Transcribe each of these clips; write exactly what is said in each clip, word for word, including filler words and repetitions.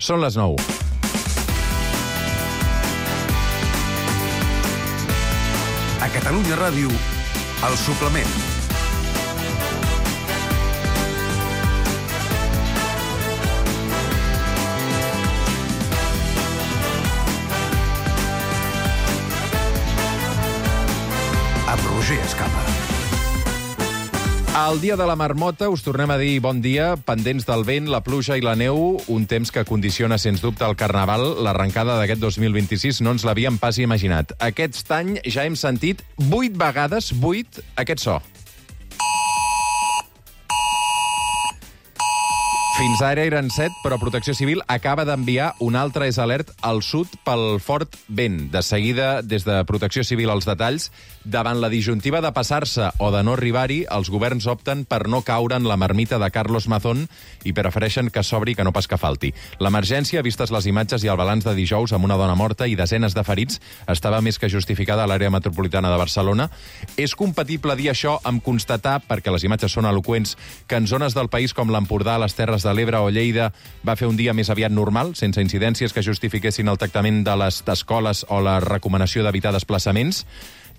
Són les nou. A Catalunya Ràdio, El Suplement. Amb Roger Escapa. Al dia de la marmota us tornem a dir bon dia, pendents del vent, la pluja i la neu, un temps que condiciona, sens dubte, el Carnaval. L'arrencada d'aquest dos mil vint-i-sis no ens l'havíem pas imaginat. Aquest any ja hem sentit vuit vegades, vuit, aquest so. Fins ara eren set, però Protecció Civil acaba d'enviar un altre és alert al sud pel fort vent. De seguida, des de Protecció Civil, els detalls. Davant la disjuntiva de passar-se o de no arribar-hi, els governs opten per no caure en la marmita de Carlos Mazón i prefereixen que s'obri que no pas que falti. L'emergència, vistes les imatges i el balanç de dijous amb una dona morta i desenes de ferits, estava més que justificada a l'àrea metropolitana de Barcelona. És compatible dir això amb constatar, perquè les imatges són eloqüents, que en zones del país com l'Empordà, les Terres de l'Ebre o Lleida va fer un dia més aviat normal, sense incidències que justifiquessin el tractament de les escoles o la recomanació d'evitar desplaçaments?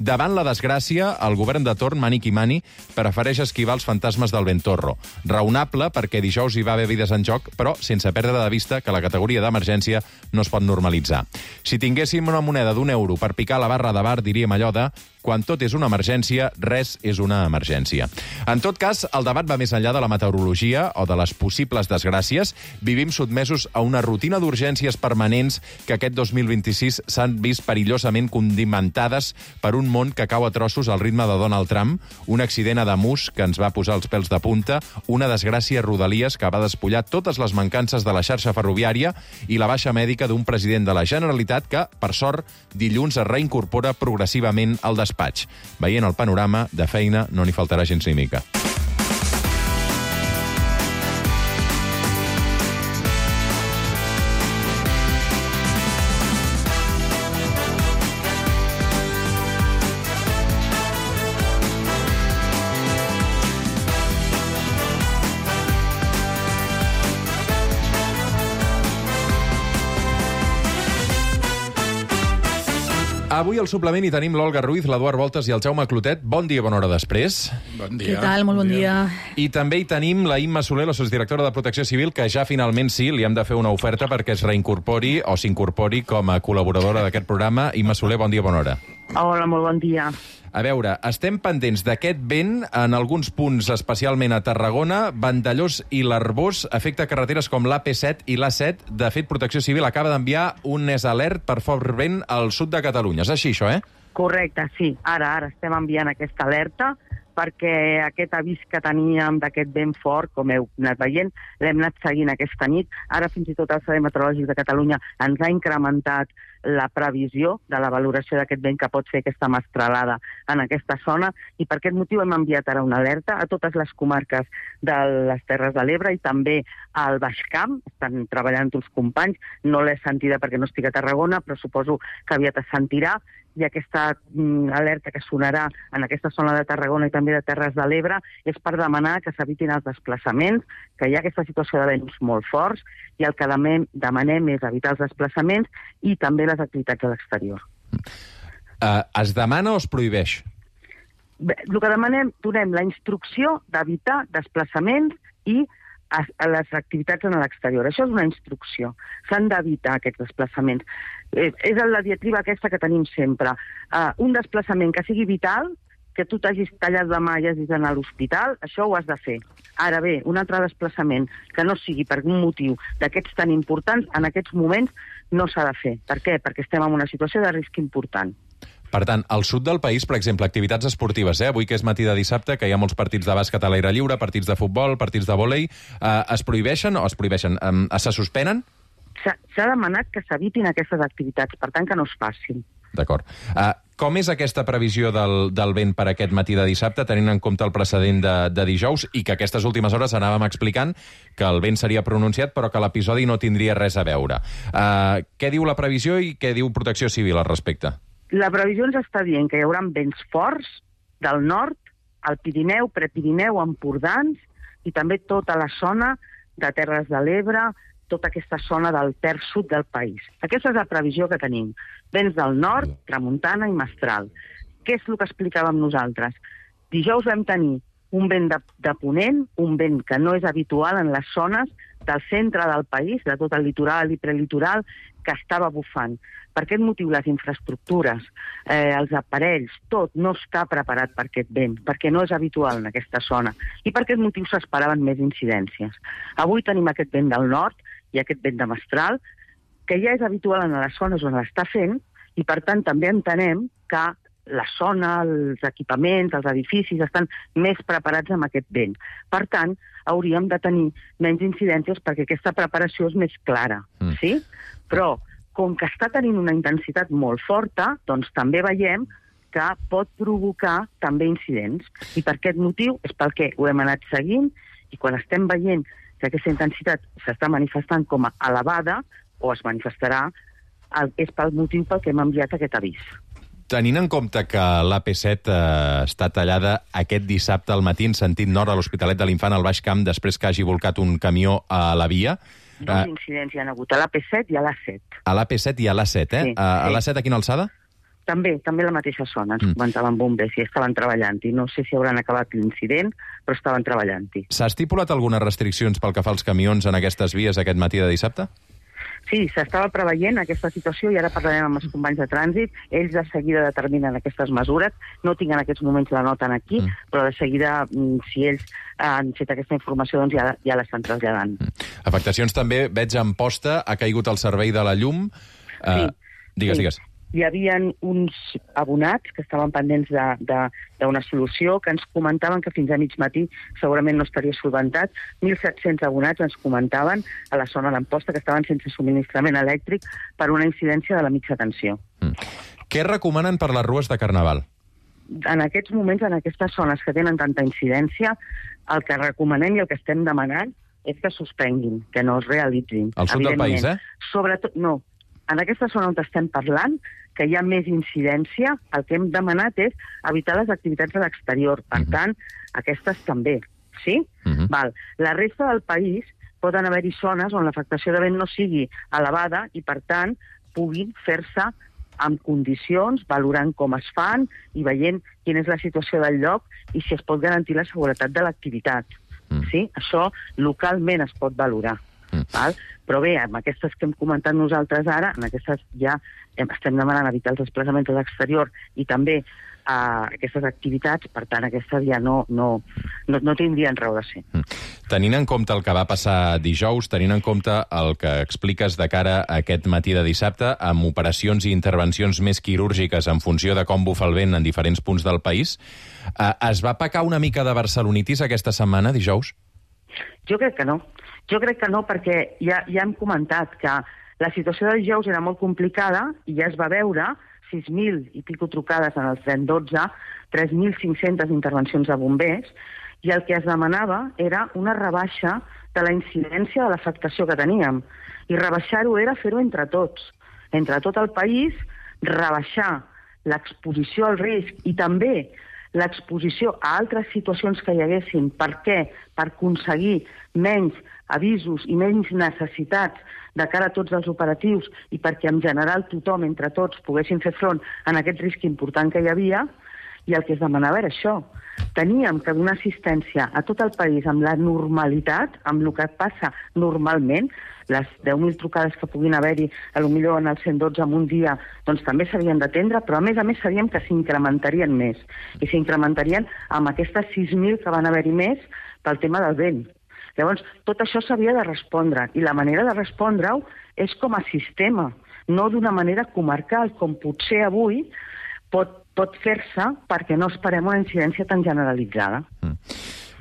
Davant la desgràcia, el govern de torn, mani qui mani, prefereix esquivar els fantasmes del Ventorro. Raonable, perquè dijous hi va haver vides en joc, però sense perdre de vista que la categoria d'emergència no es pot normalitzar. Si tinguéssim una moneda d'un euro per picar la barra de bar, diríem allò de quan tot és una emergència, res és una emergència. En tot cas, el debat va més enllà de la meteorologia o de les possibles desgràcies. Vivim sotmesos a una rutina d'urgències permanents que aquest dos mil vint-i-sis s'han vist perillosament condimentades per un món que cau a trossos al ritme de Donald Trump, un accident a Damus que ens va posar els pèls de punta, una desgràcia a Rodalies que va despullar totes les mancances de la xarxa ferroviària i la baixa mèdica d'un president de la Generalitat que, per sort, dilluns es reincorpora progressivament al despatx. Veient el panorama, de feina no n'hi faltarà gens ni mica. Avui al suplement hi tenim l'Olga Ruiz, l'Eduard Voltes i el Jaume Clotet. Bon dia, bona hora després. Bon dia. Què tal? Molt bon dia. I també hi tenim la Imma Soler, la sotsdirectora de Protecció Civil, que ja finalment sí, li hem de fer una oferta perquè es reincorpori o s'incorpori com a col·laboradora d'aquest programa. Imma Soler, bon dia, bona hora. Hola, molt bon dia. A veure, estem pendents d'aquest vent en alguns punts, especialment a Tarragona. Vandellós i l'Arbós afecta carreteres com l'A P set i l'A set. De fet, Protecció Civil acaba d'enviar un és alert per fort vent al sud de Catalunya. És així, això, eh? Correcte, sí. Ara, ara estem enviant aquesta alerta perquè aquest avís que teníem d'aquest vent fort, com heu anat veient, l'hem anat seguint aquesta nit. Ara fins i tot el Servei Meteorològic de Catalunya ens ha incrementat la previsió de la valoració d'aquest vent que pot fer aquesta mestralada en aquesta zona i per aquest motiu hem enviat ara una alerta a totes les comarques de les Terres de l'Ebre i també al Baix Camp. Estan treballant els companys, no l'he sentida perquè no estic a Tarragona, però suposo que aviat es sentirà. I aquesta mm, alerta que sonarà en aquesta zona de Tarragona i també de Terres de l'Ebre és per demanar que s'evitin els desplaçaments, que hi ha aquesta situació de vents molt forts i el que demanem, demanem és evitar els desplaçaments i també les activitats a l'exterior. Uh, es demana o es prohibeix? Bé, el que demanem, donem la instrucció d'evitar desplaçaments i a, a les activitats en l'exterior. Això és una instrucció. S'han d'evitar aquests desplaçaments. Eh, és la diatriba aquesta que tenim sempre. Uh, un desplaçament que sigui vital, que tu t'hagis tallat la mà i hagis d'anar a l'hospital, això ho has de fer. Ara bé, un altre desplaçament que no sigui per un motiu d'aquests tan importants, en aquests moments no s'ha de fer. Per què? Perquè estem en una situació de risc important. Per tant, al sud del país, per exemple, activitats esportives, eh? Avui que és matí de dissabte, que hi ha molts partits de bàsquet a l'aire lliure, partits de futbol, partits de vòlei, eh, es prohibeixen o es prohibeixen? Eh, se suspenen? S'ha demanat que s'evitin aquestes activitats, per tant que no es facin. D'acord. Uh, com és aquesta previsió del, del vent per aquest matí de dissabte, tenint en compte el precedent de, de dijous, i que aquestes últimes hores anàvem explicant que el vent seria pronunciat, però que l'episodi no tindria res a veure. Uh, què diu la previsió i què diu Protecció Civil al respecte? La previsió ens està dient que hi haurà vents forts del nord, al Pirineu, Prepirineu, Empordans, i també tota la zona de Terres de l'Ebre, tota aquesta zona del terç sud del país. Aquesta és la previsió que tenim. Vents del nord, tramuntana i mestral. Què és el que explicàvem nosaltres? Dijous vam tenir un vent de, de ponent, un vent que no és habitual en les zones del centre del país, de tot el litoral i prelitoral, que estava bufant. Per aquest motiu, les infraestructures, eh, els aparells, tot no està preparat per aquest vent, perquè no és habitual en aquesta zona. I per aquest motiu s'esperaven més incidències. Avui tenim aquest vent del nord i aquest vent de mestral, que ja és habitual en les zones on l'està fent, i per tant també entenem que la zona, els equipaments, els edificis estan més preparats amb aquest vent. Per tant, hauríem de tenir menys incidències perquè aquesta preparació és més clara, mm. sí? Però, com que està tenint una intensitat molt forta, doncs també veiem que pot provocar també incidents. I per aquest motiu és pel que ho hem anat seguint, i quan estem veient que aquesta intensitat s'està manifestant com a elevada, o es manifestarà, és pel motiu pel que hem enviat aquest avís. Tenint en compte que l'A P set eh, està tallada aquest dissabte al matí en sentit nord a l'Hospitalet de l'Infant al Baix Camp després que hagi volcat un camió a la via... Dos eh, incidents hi ha hagut, a l'A P set i a l'A set. A l'A P set i a l'A set, eh? Sí, a, sí. A l'A set a quina alçada? També, també la mateixa zona, ens mm. comentaven bombers i estaven treballant-hi. No sé si hauran acabat l'incident, però estaven treballant-hi. S'ha estipulat algunes restriccions pel que fa als camions en aquestes vies aquest matí de dissabte? Sí, s'estava preveient aquesta situació i ara parlarem amb els companys de trànsit. Ells de seguida determinen aquestes mesures. No tinc en aquests moments la nota aquí, mm. però de seguida, si ells han fet aquesta informació, doncs ja, ja l'estan traslladant. Mm. Afectacions també, veig en Posta, ha caigut el servei de la llum. Sí. Uh, digues, sí. digues. Hi havia uns abonats que estaven pendents d'una solució, que ens comentaven que fins a mig matí segurament no estaria solventat. mil set-cents abonats ens comentaven a la zona d'Amposta que estaven sense subministrament elèctric per una incidència de la mitja tensió. Mm. Què recomanen per les rues de Carnaval? En aquests moments, en aquestes zones que tenen tanta incidència, el que recomanem i el que estem demanant és que suspenguin, que no es realitzin. Al sud del país, eh? Sobretot, no. En aquesta zona on estem parlant, que hi ha més incidència, el que hem demanat és evitar les activitats a l'exterior. Per uh-huh. tant, aquestes també. Sí? Uh-huh. Val. La resta del país poden haver-hi zones on l'afectació de vent no sigui elevada i, per tant, puguin fer-se amb condicions, valorant com es fan i veient quina és la situació del lloc i si es pot garantir la seguretat de l'activitat. Uh-huh. Sí? Això localment es pot valorar. Mm. Val? Però bé, amb aquestes que hem comentat nosaltres ara, en aquestes ja estem demanant evitar els desplaçaments a l'exterior i també eh, aquestes activitats, per tant, aquestes ja no, no, no, no tindrien raó de ser. Mm. Tenint en compte el que va passar dijous, tenint en compte el que expliques de cara a aquest matí de dissabte, amb operacions i intervencions més quirúrgiques en funció de com bufa el vent en diferents punts del país, eh, es va pecar una mica de barcelonitis aquesta setmana, dijous? Jo crec que no. Jo crec que no, perquè ja, ja hem comentat que la situació del dijous era molt complicada i ja es va veure sis mil i pico trucades en el cent dotze, tres mil cinc-centes intervencions de bombers, i el que es demanava era una rebaixa de la incidència de l'afectació que teníem. I rebaixar-ho era fer-ho entre tots, entre tot el país, rebaixar l'exposició al risc i també l'exposició a altres situacions que hi haguessin. Per què? Per aconseguir menys avisos i menys necessitats de cara a tots els operatius i perquè en general tothom, entre tots, poguessin fer front a aquest risc important que hi havia, i el que es demanava era això. Teníem que donar assistència a tot el país amb la normalitat, amb el que passa normalment, les deu mil trucades que puguin haver-hi, potser en el cent dotze en un dia, doncs també s'havien d'atendre, però a més a més sabíem que s'incrementarien més, i s'incrementarien amb aquestes sis mil que van haver-hi més pel tema del vent. Llavors, tot això s'havia de respondre, i la manera de respondre-ho és com a sistema, no d'una manera comarcal, com potser avui pot, pot fer-se perquè no esperem una incidència tan generalitzada. Mm.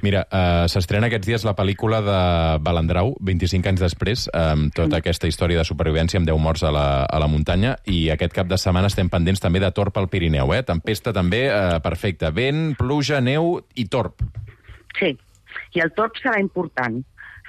Mira, uh, s'estrena aquests dies la pel·lícula de Balandrau, vint-i-cinc anys després, amb tota aquesta història de supervivència amb deu morts a la, a la muntanya, i aquest cap de setmana estem pendents també de Torb al Pirineu, eh? Tempesta també, uh, perfecte. Vent, pluja, neu i Torb. Sí, i el Torb serà important.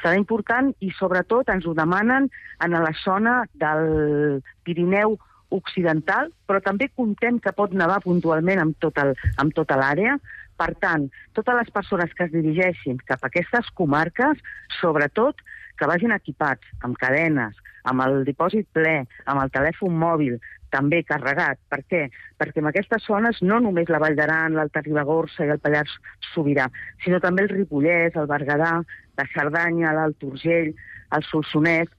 Serà important i sobretot ens ho demanen en la zona del Pirineu occidental, però també contem que pot nevar puntualment amb, tot el, amb tota l'àrea. Per tant, totes les persones que es dirigeixin cap a aquestes comarques, sobretot que vagin equipats amb cadenes, amb el dipòsit ple, amb el telèfon mòbil, també carregat. Per què? Perquè en aquestes zones no només la Vall d'Aran, l'Alta Ribagorça i el Pallars Sobirà, sinó també el Ripollès, el Berguedà, la Cerdanya, l'Alt Urgell, el Solsonès.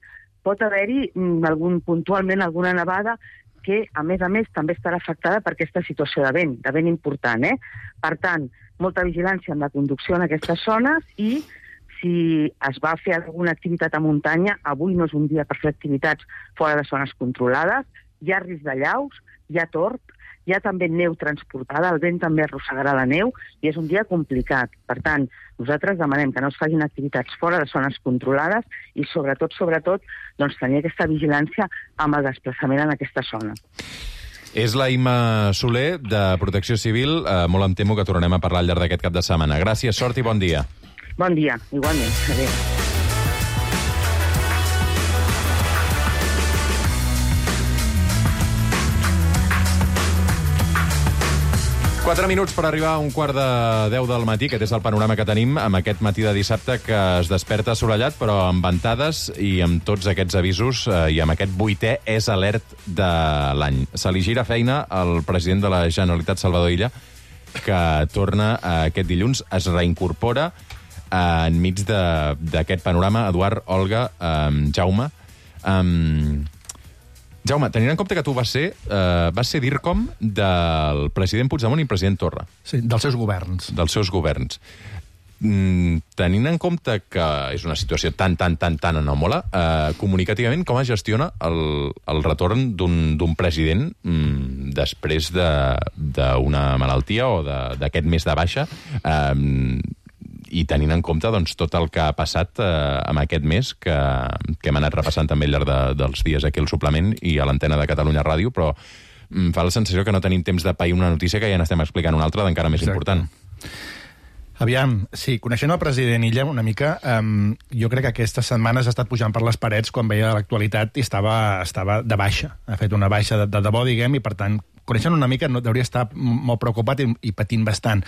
Pot haver-hi algun, puntualment alguna nevada que, a més a més, també estarà afectada per aquesta situació de vent, de vent important. Eh? Per tant, molta vigilància en la conducció en aquestes zones i si es va fer alguna activitat a muntanya, avui no és un dia per fer activitats fora de zones controlades, hi ha risc de llaus, hi ha tord, hi ha també neu transportada, el vent també arrossegarà la neu i és un dia complicat. Per tant, nosaltres demanem que no es facin activitats fora de zones controlades i sobretot, sobretot, doncs, tenir aquesta vigilància amb el desplaçament en aquesta zona. És la Imma Soler, de Protecció Civil. Eh, molt em temo que tornarem a parlar al llarg d'aquest cap de setmana. Gràcies, sort i bon dia. Bon dia, igualment. Adéu. Quatre minuts per arribar a un quart de deu del matí. Aquest és el panorama que tenim amb aquest matí de dissabte que es desperta assolellat, però amb ventades i amb tots aquests avisos eh, i amb aquest vuitè és alert de l'any. Se li gira feina al president de la Generalitat, Salvador Illa, que torna eh, aquest dilluns, es reincorpora eh, enmig d'aquest panorama. Eduard, Olga, eh, Jaume... Eh, Jaume, tenint en compte que tu vas ser, eh, vas ser DIRCOM del president Puigdemont i president Torra. Sí, dels seus governs. Dels seus governs. Mm, tenint en compte que és una situació tan, tan, tan, tan anòmala, eh, comunicativament, com es gestiona el, el retorn d'un president mm, després d'una de, malaltia o d'aquest mes de baixa, eh, i tenint en compte doncs, tot el que ha passat eh, amb aquest mes, que, que hem anat repassant també al llarg de, dels dies aquí al suplement i a l'antena de Catalunya Ràdio, però em fa la sensació que no tenim temps de pair una notícia que ja n'estem explicant una altra d'encara més Exacte. Important. Aviam, sí, coneixent el president Illa una mica, um, jo crec que aquestes setmanes ha estat pujant per les parets quan veia l'actualitat i estava, estava de baixa. Ha fet una baixa de, de debò, diguem, i per tant, coneixent una mica, no, hauria estar molt preocupat i, i patint bastant.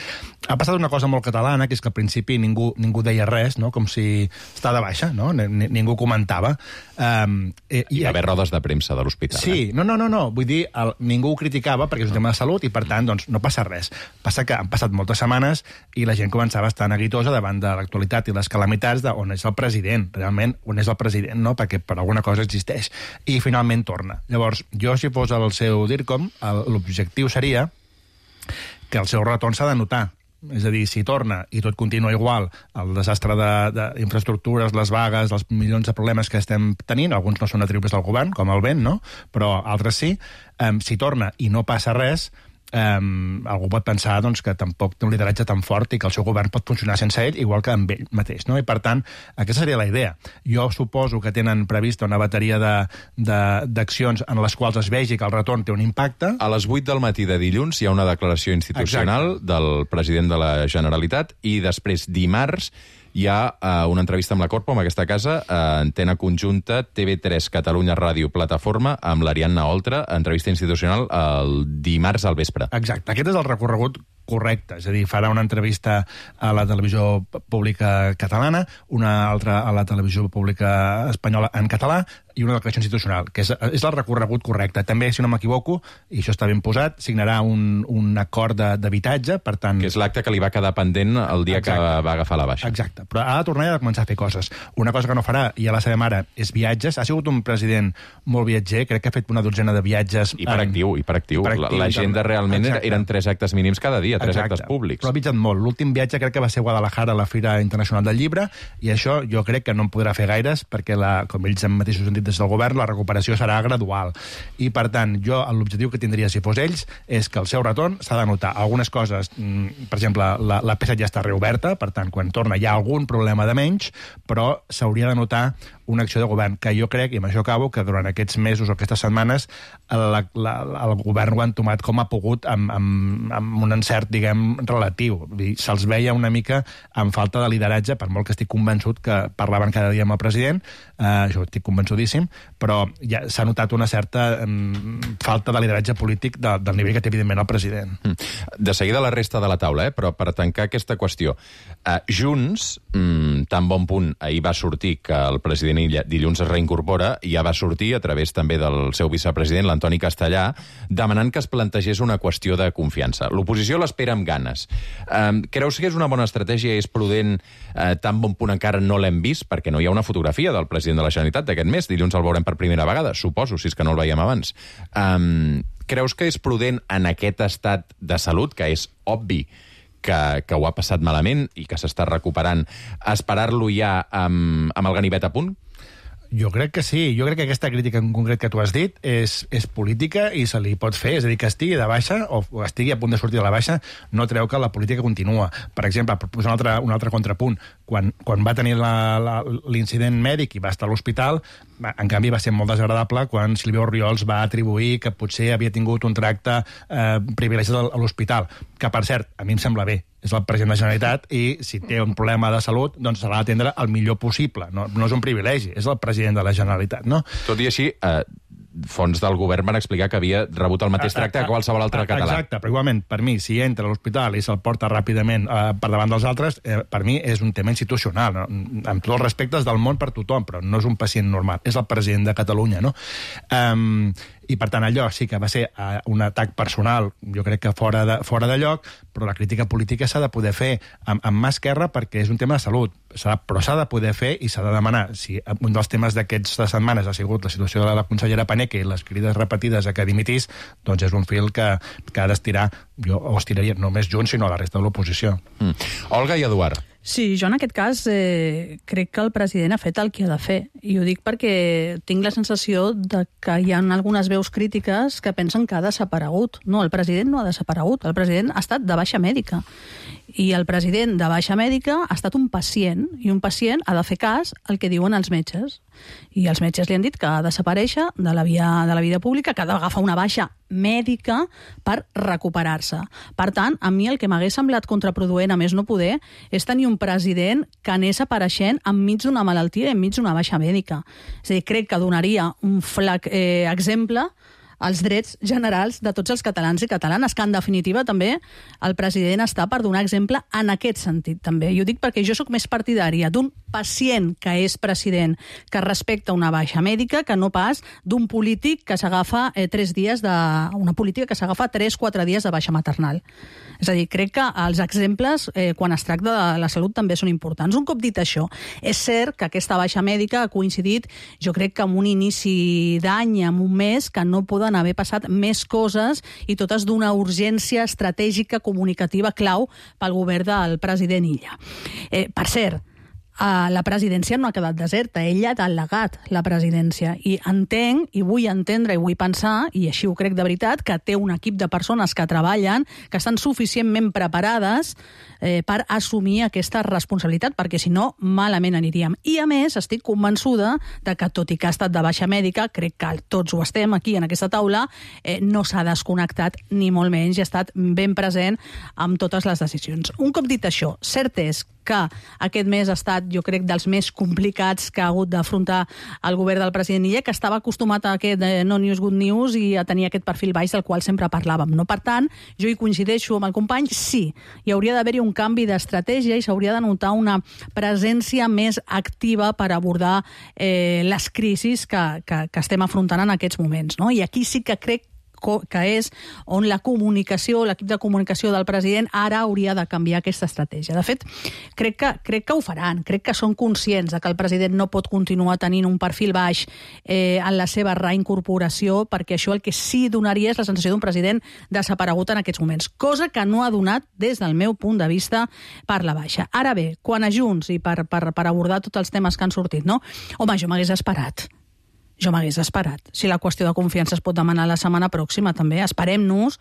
Ha passat una cosa molt catalana, que és que al principi ningú, ningú deia res, no? Com si està de baixa, no? N ningú comentava. Um, i, i va haver rodes de premsa de l'hospital. Sí, eh? no, no, no, no, vull dir, el, ningú ho criticava perquè és un tema de salut i, per tant, doncs, no passa res. Passa que han passat moltes setmanes i la gent començava a estar neguitosa davant de l'actualitat i les calamitats d'on és el president, realment, on és el president, no? Perquè per alguna cosa existeix. I finalment torna. Llavors, jo, si fos el seu DIRCOM, l'objectiu seria que el seu retorn s'ha de notar. És a dir, si torna i tot continua igual, el desastre d'infraestructures, les vagues, els milions de problemes que estem tenint, alguns no són atribuïbles al govern, com el vent, no? Però altres sí, um, si torna i no passa res, Um, algú pot pensar doncs, que tampoc té un lideratge tan fort i que el seu govern pot funcionar sense ell, igual que amb ell mateix, no? I per tant, aquesta seria la idea. Jo suposo que tenen prevista una bateria d'accions en les quals es vegi que el retorn té un impacte. A les vuit del matí de dilluns hi ha una declaració institucional Exacte. Del president de la Generalitat i després dimarts hi ha uh, una entrevista amb la Corpo, amb aquesta casa, uh, antena conjunta, T V tres, Catalunya Ràdio, Plataforma, amb l'Ariadna Oltra, entrevista institucional el dimarts al vespre. Exacte, aquest és el recorregut correcte, és a dir, farà una entrevista a la televisió pública catalana, una altra a la televisió pública espanyola en català i una declaració institucional, que és, és el recorregut correcte. També, si no m'equivoco, i això està ben posat, signarà un, un acord d'habitatge, per tant... Que és l'acte que li va quedar pendent el dia Exacte. Que va agafar la baixa. Exacte, però ha de tornar i ha de començar a fer coses. Una cosa que no farà, i ja la sabem ara, és viatges. Ha sigut un president molt viatger, crec que ha fet una dotzena de viatges... Hiperactiu, en... hiperactiu. hiperactiu. L'agenda realment Exacte. Eren tres actes mínims cada dia, tres Exacte. Actes públics. Però ha viatjat molt. L'últim viatge crec que va ser a Guadalajara, a la Fira Internacional del Llibre, i això jo crec que no en podrà fer gaires, perquè, la, com ells mateixos han dit des del govern, la recuperació serà gradual. I, per tant, jo l'objectiu que tindria si fos ells és que el seu retorn s'ha de notar. Algunes coses, per exemple, la, la P set ja està reoberta, per tant, quan torna hi ha algun problema de menys, però s'hauria de notar una acció de govern, que jo crec, i amb això acabo, que durant aquests mesos o aquestes setmanes la, la, el govern ho ha entomat com ha pogut amb, amb, amb un encert, diguem, relatiu. Se'ls veia una mica amb falta de lideratge, per molt que estic convençut que parlaven cada dia amb el president, eh, jo estic convençudíssim, però ja s'ha notat una certa um, falta de lideratge polític de, del nivell que té, evidentment, el president. De seguida la resta de la taula, eh? Però per tancar aquesta qüestió. Uh, Junts mm, tan bon punt ahir va sortir que el president dilluns es reincorpora, i ja va sortir a través també del seu vicepresident, l'Antoni Castellà, demanant que es plantegés una qüestió de confiança. L'oposició l'espera amb ganes. Eh, creus que és una bona estratègia, és prudent, eh, tan bon punt encara no l'hem vist, perquè no hi ha una fotografia del president de la Generalitat d'aquest mes, dilluns el veurem per primera vegada, suposo, si és que no el veiem abans. Eh, creus que és prudent en aquest estat de salut, que és obvi que, que ho ha passat malament i que s'està recuperant, esperar-lo ja amb, amb el ganivet a punt? Jo crec que sí. Jo crec que aquesta crítica en concret que tu has dit és, és política i se li pot fer. És a dir, que estigui de baixa o, o estigui a punt de sortir de la baixa no treu que la política continua. Per exemple, per posar un altre, un altre contrapunt, quan, quan va tenir l'incident mèdic i va estar a l'hospital, en canvi va ser molt desagradable quan Sílvia Orriols va atribuir que potser havia tingut un tracte eh, privilegiat a l'hospital. Que, per cert, a mi em sembla bé. És el president de la Generalitat i si té un problema de salut, doncs se l'ha d'atendre el millor possible. No, no és un privilegi, és el president de la Generalitat, no? Tot i així, eh, fons del govern van explicar que havia rebut el mateix tracte que qualsevol altre català. Exacte, però igualment, per mi, si entra a l'hospital i se'l porta ràpidament eh, per davant dels altres, eh, per mi és un tema institucional, no? Amb tots els respectes del món per tothom, però no és un pacient normal, és el president de Catalunya, no? Um, I, per tant, allò sí que va ser uh, un atac personal, jo crec que fora de, fora de lloc, però la crítica política s'ha de poder fer amb, amb mà esquerra perquè és un tema de salut, s'ha, però s'ha de poder fer i s'ha de demanar. Si un dels temes d'aquestes setmanes ha sigut la situació de la consellera Paneque i les crides repetides a que dimitís, doncs és un fil que, que ha d'estirar, jo ho estiraria no només Junts, sinó a la resta de l'oposició. Mm. Olga i Eduard. Sí, jo en aquest cas eh, crec que el president ha fet el que ha de fer. I ho dic perquè tinc la sensació de que hi ha algunes veus crítiques que pensen que ha desaparegut. No, el president no ha desaparegut. El president ha estat de baixa mèdica. I el president de baixa mèdica ha estat un pacient, i un pacient ha de fer cas al que diuen els metges. I els metges li han dit que ha de desaparèixer de la, via, de la vida pública, que ha d'agafar una baixa mèdica per recuperar-se. Per tant, a mi el que m'hagués semblat contraproduent, a més no poder, és tenir un president que anés apareixent enmig d'una malaltia i enmig d'una baixa mèdica. És a dir, crec que donaria un flac eh, exemple als drets generals de tots els catalans i catalanes, que en definitiva també el president està per donar exemple en aquest sentit també. I ho dic perquè jo sóc més partidària d'un pacient que és president, que respecta una baixa mèdica, que no pas d'un polític que s'agafa eh, tres dies de... una política que s'agafa tres, quatre dies de baixa maternal. És a dir, crec que els exemples, eh, quan es tracta de la salut, també són importants. Un cop dit això, és cert que aquesta baixa mèdica ha coincidit, jo crec que amb un inici d'any, amb un mes, que no poden haver passat més coses i totes d'una urgència estratègica comunicativa clau pel govern del president Illa. Eh, per cert, Uh, la presidència no ha quedat deserta, ella ha delegat la presidència i entenc, i vull entendre i vull pensar, i així ho crec de veritat, que té un equip de persones que treballen, que estan suficientment preparades eh, per assumir aquesta responsabilitat, perquè si no, malament aniríem. I a més, estic convençuda de que, tot i que ha estat de baixa mèdica, crec que tots ho estem aquí en aquesta taula, eh, no s'ha desconnectat ni molt menys i ha estat ben present amb totes les decisions. Un cop dit això, cert és que aquest mes ha estat, jo crec, dels més complicats que ha hagut d'afrontar el govern del president Illa, que estava acostumat a aquest eh, no news, good news i a tenir aquest perfil baix del qual sempre parlàvem. No? Per tant, jo hi coincideixo amb el company, sí, hi hauria d'haver-hi un canvi d'estratègia i s'hauria de notar una presència més activa per abordar eh, les crisis que, que, que estem afrontant en aquests moments. No? I aquí sí que crec que és on la comunicació, l'equip de comunicació del president ara hauria de canviar aquesta estratègia. De fet, crec que, crec que ho faran, crec que són conscients de que el president no pot continuar tenint un perfil baix eh, en la seva reincorporació, perquè això el que sí donaria és la sensació d'un president desaparegut en aquests moments, cosa que no ha donat des del meu punt de vista per la baixa. Ara bé, quan a Junts i per, per, per abordar tots els temes que han sortit, no? Home, jo m'hagués esperat. Jo m'hagués esperat. Si la qüestió de confiança es pot demanar la setmana pròxima, també esperem-nos,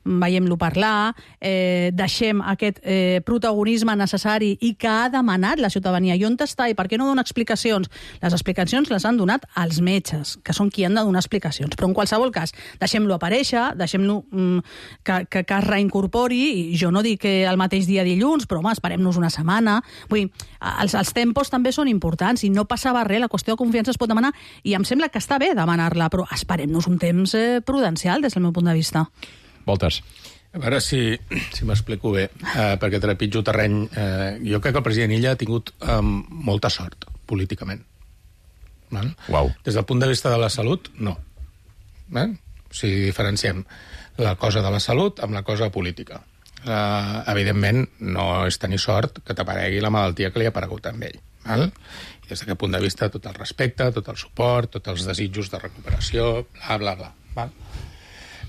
veiem-lo parlar, eh, deixem aquest eh, protagonisme necessari i que ha demanat la ciutadania. I on està i per què no dona explicacions? Les explicacions les han donat els metges, que són qui han de donar explicacions. Però en qualsevol cas, deixem-lo aparèixer, deixem-lo mm, que, que, que es reincorpori, i jo no dic que el mateix dia dilluns, però home, esperem-nos una setmana. Vull dir, els, els tempos també són importants i no passava res, la qüestió de confiança es pot demanar i em sembla que està bé demanar-la, però esperem-nos un temps eh, prudencial des del meu punt de vista. Voltes. A veure si, si m'explico bé, eh, perquè trepitjo terreny. Eh, jo crec que el president Illa ha tingut eh, molta sort, políticament. Val? Uau. Des del punt de vista de la salut, no. Val? O sigui, diferenciem la cosa de la salut amb la cosa política. Eh, evidentment, no és tenir sort que t'aparegui la malaltia que li ha aparegut amb ell. Val? I des d'aquest punt de vista, tot el respecte, tot el suport, tots els desitjos de recuperació, bla, bla, bla. Val?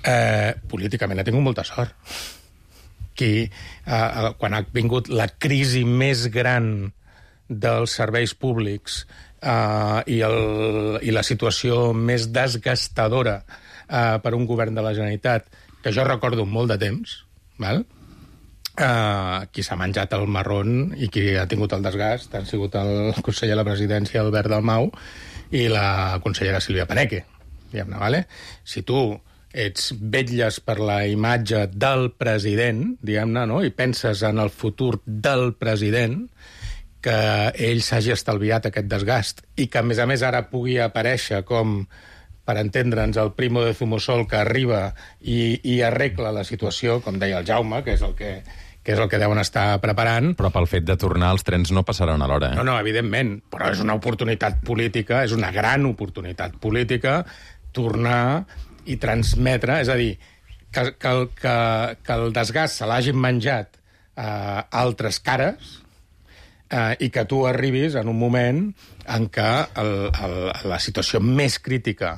Eh, políticament ha tingut molta sort. Qui, eh, quan ha vingut la crisi més gran dels serveis públics eh, i, el, i la situació més desgastadora eh, per un govern de la Generalitat, que jo recordo molt de temps, val? Eh, qui s'ha menjat el marrón i qui ha tingut el desgast han sigut el conseller de la presidència, Albert Dalmau, i la consellera Sílvia Paneque. Diguem-ne, vale? Si tu ets vetlles per la imatge del president, diguem-ne, no? I penses en el futur del president, que ell s'hagi estalviat aquest desgast i que, a més a més, ara pugui aparèixer com, per entendre'ns, el primo de Zumosol que arriba i, i arregla la situació, com deia el Jaume, que és el que, que és el que deuen estar preparant. Però pel fet de tornar, els trens no passaran a l'hora, eh? No, no, evidentment, però és una oportunitat política, és una gran oportunitat política, tornar i transmetre, és a dir, que, que, que, que el desgast se l'hagin menjat eh, altres cares eh, i que tu arribis en un moment en què el, el, la situació més crítica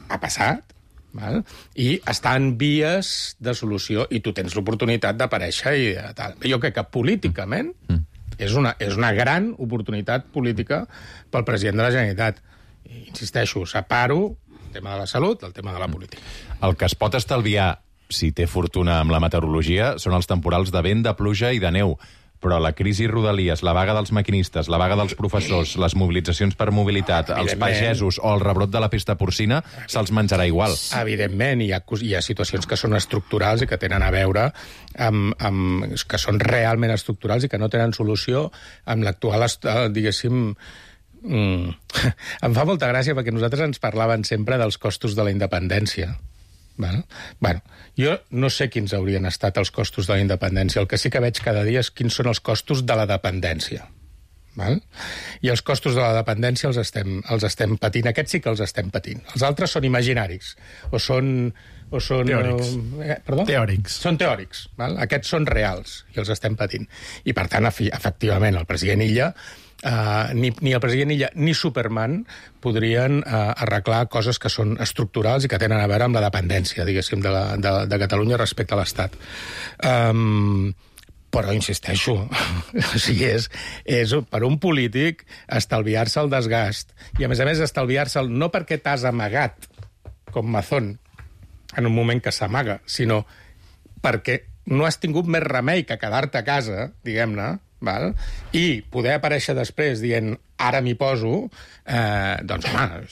ha passat, val? I està en vies de solució i tu tens l'oportunitat d'aparèixer i de tal. Jo crec que políticament mm. és, una, és una gran oportunitat política pel president de la Generalitat. I, insisteixo, separo el tema de la salut, el tema de la política. El que es pot estalviar, si té fortuna amb la meteorologia, són els temporals de vent, de pluja i de neu. Però la crisi Rodalies, la vaga dels maquinistes, la vaga dels professors, les mobilitzacions per mobilitat, els pagesos o el rebrot de la pesta porcina, se'ls menjarà igual. Evidentment, hi ha, hi ha situacions que són estructurals i que tenen a veure amb, amb... que són realment estructurals i que no tenen solució amb l'actual, diguéssim... Mm. Em fa molta gràcia perquè nosaltres ens parlaven sempre dels costos de la independència. Val? Bueno, jo no sé quins haurien estat els costos de la independència. El que sí que veig cada dia és quins són els costos de la dependència. Val? I els costos de la dependència els estem, els estem patint. Aquests sí que els estem patint. Els altres són imaginaris. O són... O són teòrics. Eh, perdó? Teòrics. Són teòrics. Val? Aquests són reals i els estem patint. I, per tant, efectivament, el president Illa... Uh, ni, ni el president Illa ni Superman podrien uh, arreglar coses que són estructurals i que tenen a veure amb la dependència, diguéssim, de, la, de, de Catalunya respecte a l'Estat. Um, però, insisteixo, o sigui, és, és per un polític estalviar-se el desgast i, a més a més, estalviar-se'l no perquè t'has amagat, com Mazón, en un moment que s'amaga, sinó perquè no has tingut més remei que quedar-te a casa, diguem-ne, val? I poder aparèixer després dient ara m'hi poso, eh, doncs, home,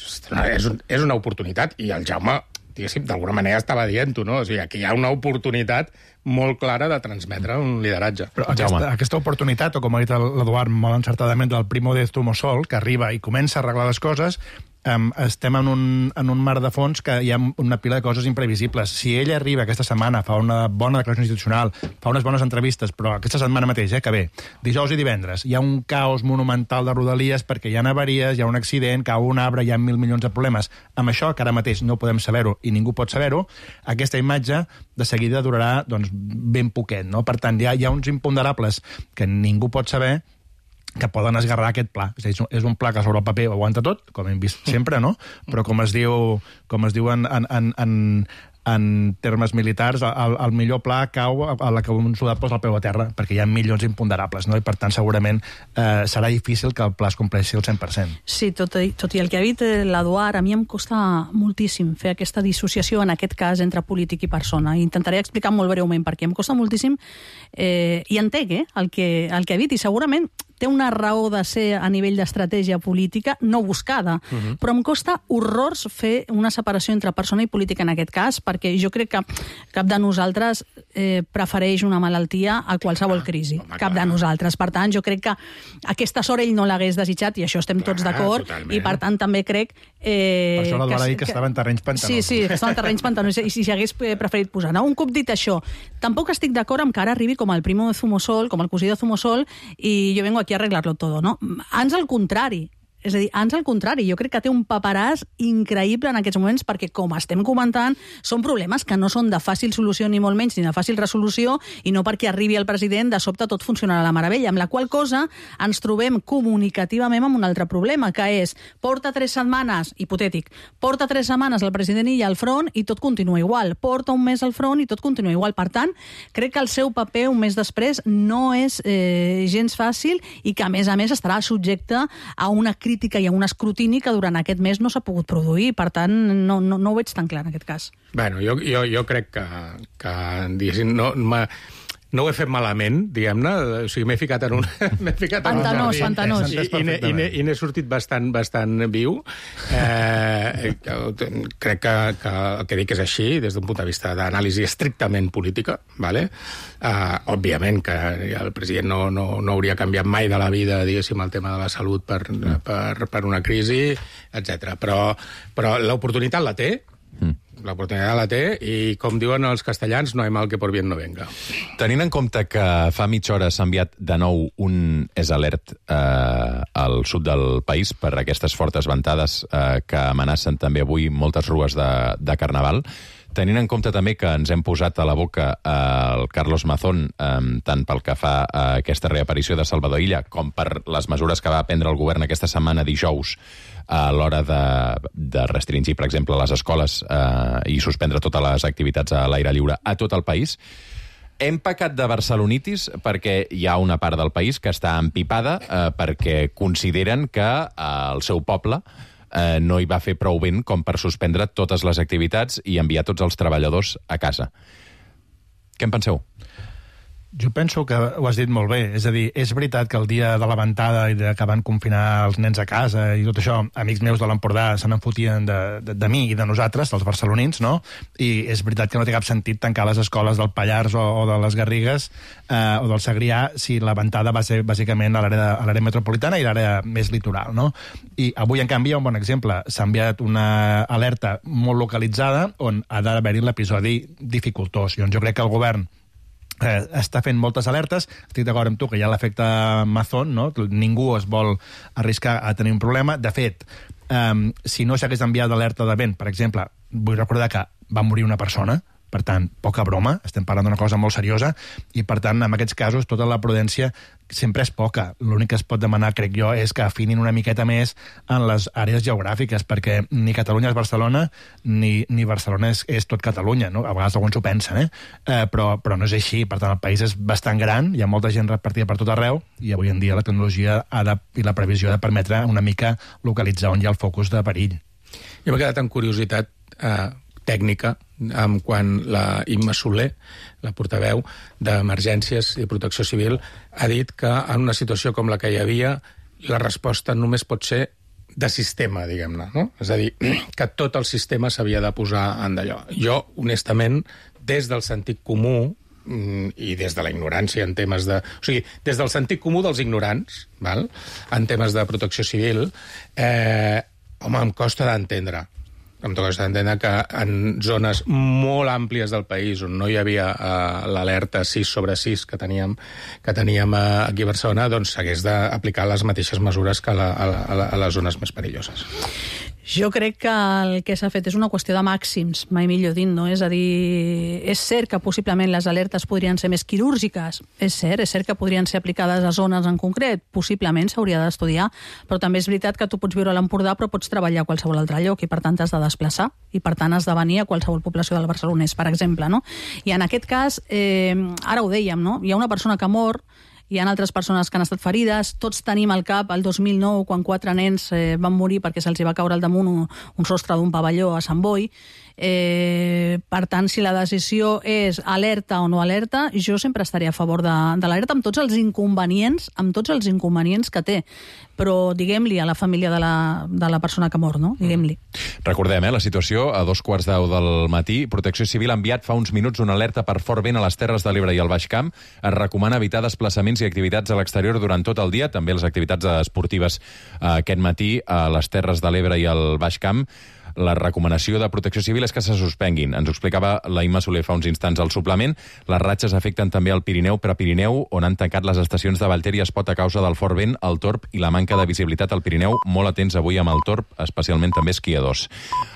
és, un, és una oportunitat. I el Jaume, diguéssim, d'alguna manera estava dient-ho, no? O sigui, aquí hi ha una oportunitat molt clara de transmetre un lideratge. Però aquesta, aquesta oportunitat, o com ha dit l'Eduard molt encertadament, del primo de Zumosol, que arriba i comença a arreglar les coses, Um, estem en un, en un mar de fons que hi ha una pila de coses imprevisibles. Si ell arriba aquesta setmana, fa una bona declaració institucional, fa unes bones entrevistes, però aquesta setmana mateix, eh, que ve, dijous i divendres, hi ha un caos monumental de Rodalies perquè hi ha avaries, hi ha un accident, cau un arbre, hi ha mil milions de problemes. Amb això, que ara mateix no podem saber-ho i ningú pot saber-ho, aquesta imatge de seguida durarà doncs, ben poquet. No? Per tant, hi ha, hi ha uns imponderables que ningú pot saber que poden esgarrar aquest pla. És a dir, és un pla que sobre el paper ho aguanta tot, com hem vist sempre, no? Però com es diu, com es diu en, en, en, en termes militars, el, el millor pla cau a la que un soldat posa el peu a terra, perquè hi ha milions imponderables, no? I per tant segurament eh, serà difícil que el pla es compleixi al cent per cent. Sí, tot i, tot i el que ha dit l'Eduard, a mi em costa moltíssim fer aquesta dissociació, en aquest cas, entre polític i persona. I intentaré explicar molt breument perquè em costa moltíssim eh, i entenc eh, el, que, el que ha dit, i segurament té una raó de ser a nivell d'estratègia política no buscada, uh-huh. però em costa horrors fer una separació entre persona i política en aquest cas, perquè jo crec que cap de nosaltres eh, prefereix una malaltia a qualsevol crisi. Ah, cap de nosaltres. Per tant, jo crec que aquesta sort ell no l'hagués desitjat, i això estem tots d'acord, i per tant també crec Eh, per això l'Eduard que, ha dit que, que estava en terrenys pantanosos. Sí, sí, que estava en terrenys pantanosos, i si hagués preferit posar. No? Un cop dit això, tampoc estic d'acord amb que ara arribi com el primo de Zumosol, com el cosí de Zumosol, i jo vengo aquí a arreglar-lo todo, no? Ans al contrari. És a dir, ans al contrari, jo crec que té un paperàs increïble en aquests moments perquè, com estem comentant, són problemes que no són de fàcil solució ni molt menys, ni de fàcil resolució, i no perquè arribi el president de sobte tot funcionarà a la meravella, amb la qual cosa ens trobem comunicativament amb un altre problema, que és, porta tres setmanes, hipotètic, porta tres setmanes el president Illa al front i tot continua igual, porta un mes al front i tot continua igual. Per tant, crec que el seu paper un mes després no és eh, gens fàcil i que, a més a més, estarà subjecte a una crítica crítica i a un escrutini que durant aquest mes no s'ha pogut produir. Per tant, no, no, no ho veig tan clar en aquest cas. Bueno, jo, jo, jo crec que, que diguéssim, no, no ho he fet malament, diguem-ne, o sigui, m'he ficat en un... m'he ficat pantanós, en un pantanós. I, i, i n'he sortit bastant, bastant viu. Eh, crec que, que el que dic és així, des d'un punt de vista d'anàlisi estrictament política, ¿vale? Uh, òbviament que el president no, no, no hauria canviat mai de la vida, diguéssim, el tema de la salut per, per, per una crisi, etcètera. Però, però l'oportunitat la té, mm. L'oportunitat la té i, com diuen els castellans, no hay mal que por bien no venga. Tenint en compte que fa mitja hora s'ha enviat de nou un es alert eh, al sud del país per aquestes fortes ventades eh, que amenacen també avui moltes rues de, de Carnaval, tenint en compte també que ens hem posat a la boca eh, el Carlos Mazón, eh, tant pel que fa a aquesta reaparició de Salvador Illa com per les mesures que va prendre el govern aquesta setmana dijous a l'hora de, de restringir, per exemple, les escoles eh, i suspendre totes les activitats a l'aire lliure a tot el país. Hem pecat de barcelonitis perquè hi ha una part del país que està empipada eh, perquè consideren que eh, el seu poble eh, no hi va fer prou vent com per suspendre totes les activitats i enviar tots els treballadors a casa. Què en penseu? Jo penso que ho has dit molt bé. És a dir, és veritat que el dia de la ventada i de que van confinar els nens a casa i tot això, amics meus de l'Empordà se n'enfotien de, de, de mi i de nosaltres, dels barcelonins, no? I és veritat que no té cap sentit tancar les escoles del Pallars o, o de les Garrigues eh, o del Segrià si la ventada va ser bàsicament a l'àrea metropolitana i l'àrea més litoral, no? I avui, en canvi, hi ha un bon exemple. S'ha enviat una alerta molt localitzada on ha d'haver-hi l'episodi dificultós. I on jo crec que el govern Eh, està fent moltes alertes. Estic d'acord amb tu que hi ha l'efecte Mazón, no? Ningú es vol arriscar a tenir un problema. De fet, eh, si no s'hagués enviat l'alerta de vent, per exemple, vull recordar que va morir una persona, per tant, poca broma, estem parlant d'una cosa molt seriosa, i per tant, en aquests casos, tota la prudència sempre és poca. L'únic que es pot demanar, crec jo, és que afinin una miqueta més en les àrees geogràfiques, perquè ni Catalunya és Barcelona, ni, ni Barcelona és, és tot Catalunya, no? A vegades alguns ho pensen, eh? eh però, però no és així. Per tant, el país és bastant gran, hi ha molta gent repartida per tot arreu, i avui en dia la tecnologia ha de, i la previsió ha de permetre una mica localitzar on hi ha el focus de perill. Jo m'he quedat amb curiositat eh, tècnica amb quan la Imma Soler, la portaveu d'Emergències i Protecció Civil, ha dit que en una situació com la que hi havia la resposta només pot ser de sistema, diguem-ne, no? És a dir, que tot el sistema s'havia de posar en d'allò. Jo, honestament, des del sentit comú i des de la ignorància en temes de... O sigui, des del sentit comú dels ignorants, val? En temes de protecció civil, eh, home, em costa d'entendre em costa d'entendre que en zones molt àmplies del país on no hi havia uh, l'alerta sis sobre sis que teníem, que teníem uh, aquí a Barcelona, doncs s'hagués d'aplicar les mateixes mesures que a, la, a, la, a les zones més perilloses. Jo crec que el que s'ha fet és una qüestió de màxims, mai millor dit, no? És a dir, és cert que possiblement les alertes podrien ser més quirúrgiques, és cert, és cert que podrien ser aplicades a zones en concret, possiblement s'hauria d'estudiar, però també és veritat que tu pots viure a l'Empordà però pots treballar a qualsevol altre lloc i per tant t'has de desplaçar i per tant has de venir a qualsevol població del Barcelonès, per exemple, no? I en aquest cas, eh, ara ho dèiem, no? Hi ha una persona que mor, hi ha altres persones que han estat ferides, tots tenim al cap el dos mil nou, quan quatre nens eh, van morir perquè se'ls va caure al damunt un, un sostre d'un pavelló a Sant Boi. Eh, per tant, si la decisió és alerta o no alerta, jo sempre estaria a favor de, de l'alerta amb tots els inconvenients, amb tots els inconvenients que té. Però diguem-li a la família de la, de la persona que mor, no? Diguem-li. Recordem, eh, la situació a dos quarts deu del matí. Protecció Civil ha enviat fa uns minuts una alerta per fort vent a les Terres de l'Ebre i al Baix Camp. Es recomana evitar desplaçaments i i activitats a l'exterior durant tot el dia, també les activitats esportives eh, aquest matí a les Terres de l'Ebre i al Baix Camp. La recomanació de Protecció Civil és que se suspenguin. Ens ho explicava la Imma Soler fa uns instants al suplement. Les ratxes afecten també el Pirineu, Prepirineu, on han tancat les estacions de Vallter i Espot a causa del fort vent, el torb i la manca de visibilitat al Pirineu. Molt atents avui amb el torb, especialment també esquiadors.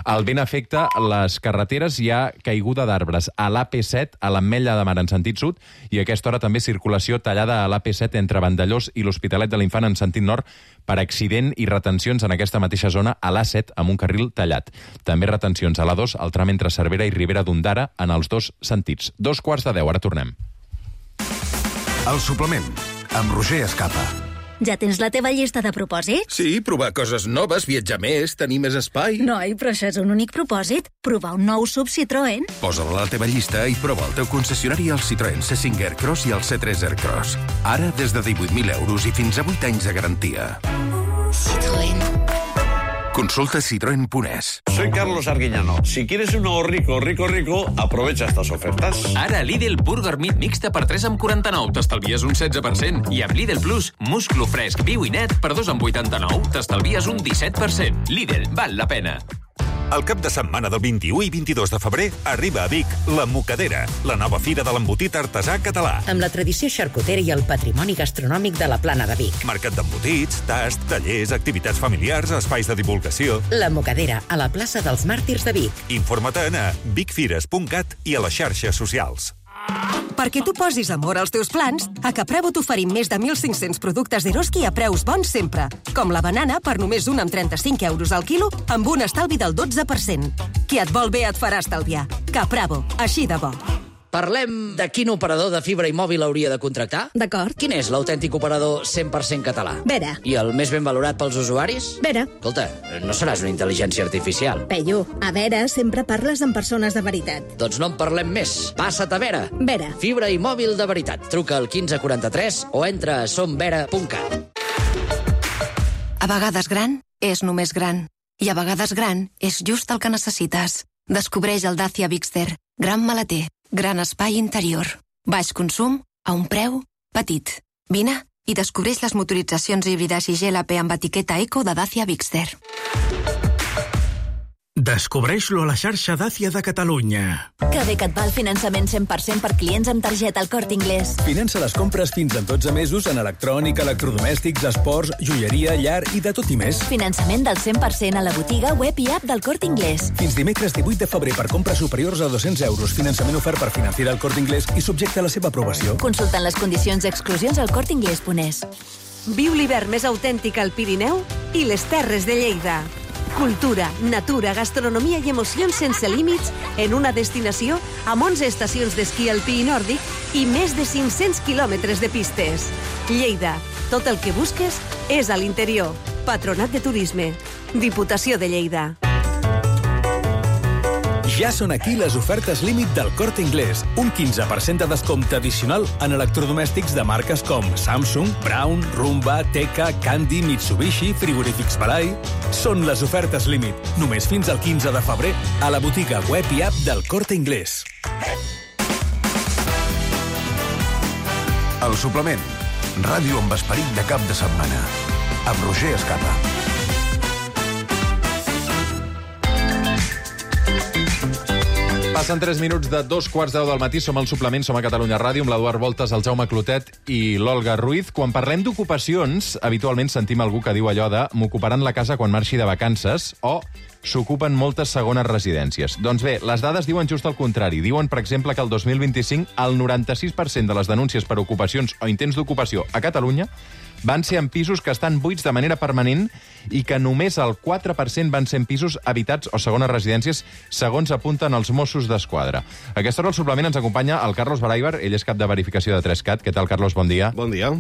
El vent afecta les carreteres, hi ha caiguda d'arbres a l'A P set, a l'Ametlla de Mar en sentit sud, i a aquesta hora també circulació tallada a l'A P set entre Vandellós i l'Hospitalet de l'Infant en sentit nord per accident i retencions en aquesta mateixa zona a l'A set amb un carril tallat. També retencions a l'A dos, al tram entre Cervera i Ribera d'Ondara, en els dos sentits. Dos quarts de deu, ara tornem. El suplement, amb Roger Escapa. Ja tens la teva llista de propòsits? Sí, provar coses noves, viatjar més, tenir més espai... Noi, però això és un únic propòsit. Provar un nou sub Citroën. Posa-la a la teva llista i prova el teu concessionari al Citroën C cinc Aircross i el C tres Aircross. Ara des de divuit mil euros i fins a vuit anys de garantia. Citroën. Consulta citroen punto es. Soy Carlos Arguiñano. Si quieres un nuevo rico, rico, rico, aprovecha estas ofertas. Ara Lidl Burger Meat mixta per tres amb quaranta-nou, t'estalvies un setze per cent. I amb Lidl Plus, musclo fresc, viu i net per dos amb vuitanta-nou, t'estalvies un disset per cent. Lidl, val la pena. El cap de setmana del vint-i-u i vint-i-dos de febrer arriba a Vic la Mocadera, la nova fira de l'embotit artesà català. Amb la tradició xarcutera i el patrimoni gastronòmic de la Plana de Vic. Mercat d'embotits, tast, tallers, activitats familiars, espais de divulgació. La Mocadera, a la plaça dels Màrtirs de Vic. Informa't-ne a vicfires punt cat i a les xarxes socials. Perquè tu posis amor als teus plans, a Capravo t'oferim més de mil cinc-cents productes d'Eroski a preus bons sempre. Com la banana per només un amb trenta-cinc euros al quilo, amb un estalvi del dotze per cent. Qui et vol bé et farà estalviar. Capravo, així de bo. Parlem de quin operador de fibra i mòbil hauria de contractar? D'acord. Quin és l'autèntic operador cent per cent català? Vera. I el més ben valorat pels usuaris? Vera. Escolta, no seràs una intel·ligència artificial. Peyu, a Vera sempre parles amb persones de veritat. Doncs no en parlem més. Passa't a Vera. Vera. Fibra i mòbil de veritat. Truca al quinze quaranta-tres o entra a somvera punt cat. A vegades gran és només gran. I a vegades gran és just el que necessites. Descobreix el Dacia Bigster. Gran maleter. Gran espai interior. Baix consum a un preu petit. Vine i descobreix les motoritzacions híbrides i G L P amb etiqueta Eco de Dacia Bigster. Descobreix-lo a la xarxa Dacia de Catalunya. Que bé que et va el finançament cent per cent per clients amb targeta al Corte Inglés. Finança les compres fins a dotze mesos en electrònica, electrodomèstics, esports, joieria, llar i de tot i més. Finançament del cent per cent a la botiga, web i app del Corte Inglés. Fins dimecres divuit de febrer per compres superiors a dos-cents euros. Finançament ofert per Financiera al Corte Inglés i subjecte a la seva aprovació. Consultant les condicions i exclusions al corte inglés punt es. Viu l'hivern més autèntic al Pirineu i les Terres de Lleida. Cultura, natura, gastronomia i emocions sense límits en una destinació amb onze estacions d'esquí alpí i nòrdic i més de cinc-cents quilòmetres de pistes. Lleida, tot el que busques és a l'interior. Patronat de Turisme. Diputació de Lleida. Ja són aquí les ofertes límit del Corte Inglés. Un quinze per cent de descompte addicional en electrodomèstics de marques com Samsung, Braun, Rumba, Teka, Candy, Mitsubishi, Frigorífics Balai. Són les ofertes límit. Només fins al quinze de febrer a la botiga web i app del Corte Inglés. El suplement. Ràdio amb esperit de cap de setmana. Amb Roger Escapa. Passen tres minuts de dos quarts deu del matí. Som al suplement, som a Catalunya Ràdio, amb l'Eduard Voltes, el Jaume Clotet i l'Olga Ruiz. Quan parlem d'ocupacions, habitualment sentim algú que diu allò de m'ocuparan la casa quan marxi de vacances o s'ocupen moltes segones residències. Doncs bé, les dades diuen just el contrari. Diuen, per exemple, que el dos mil vint-i-cinc el noranta-sis per cent de les denúncies per ocupacions o intents d'ocupació a Catalunya van ser en pisos que estan buits de manera permanent i que només el quatre per cent van ser en pisos habitats o segones residències, segons apunten els Mossos d'Esquadra. A aquesta hora al suplement ens acompanya el Carlos Baraibar, ell és cap de verificació de Trescat. Què tal, Carlos? Bon dia. Bon dia.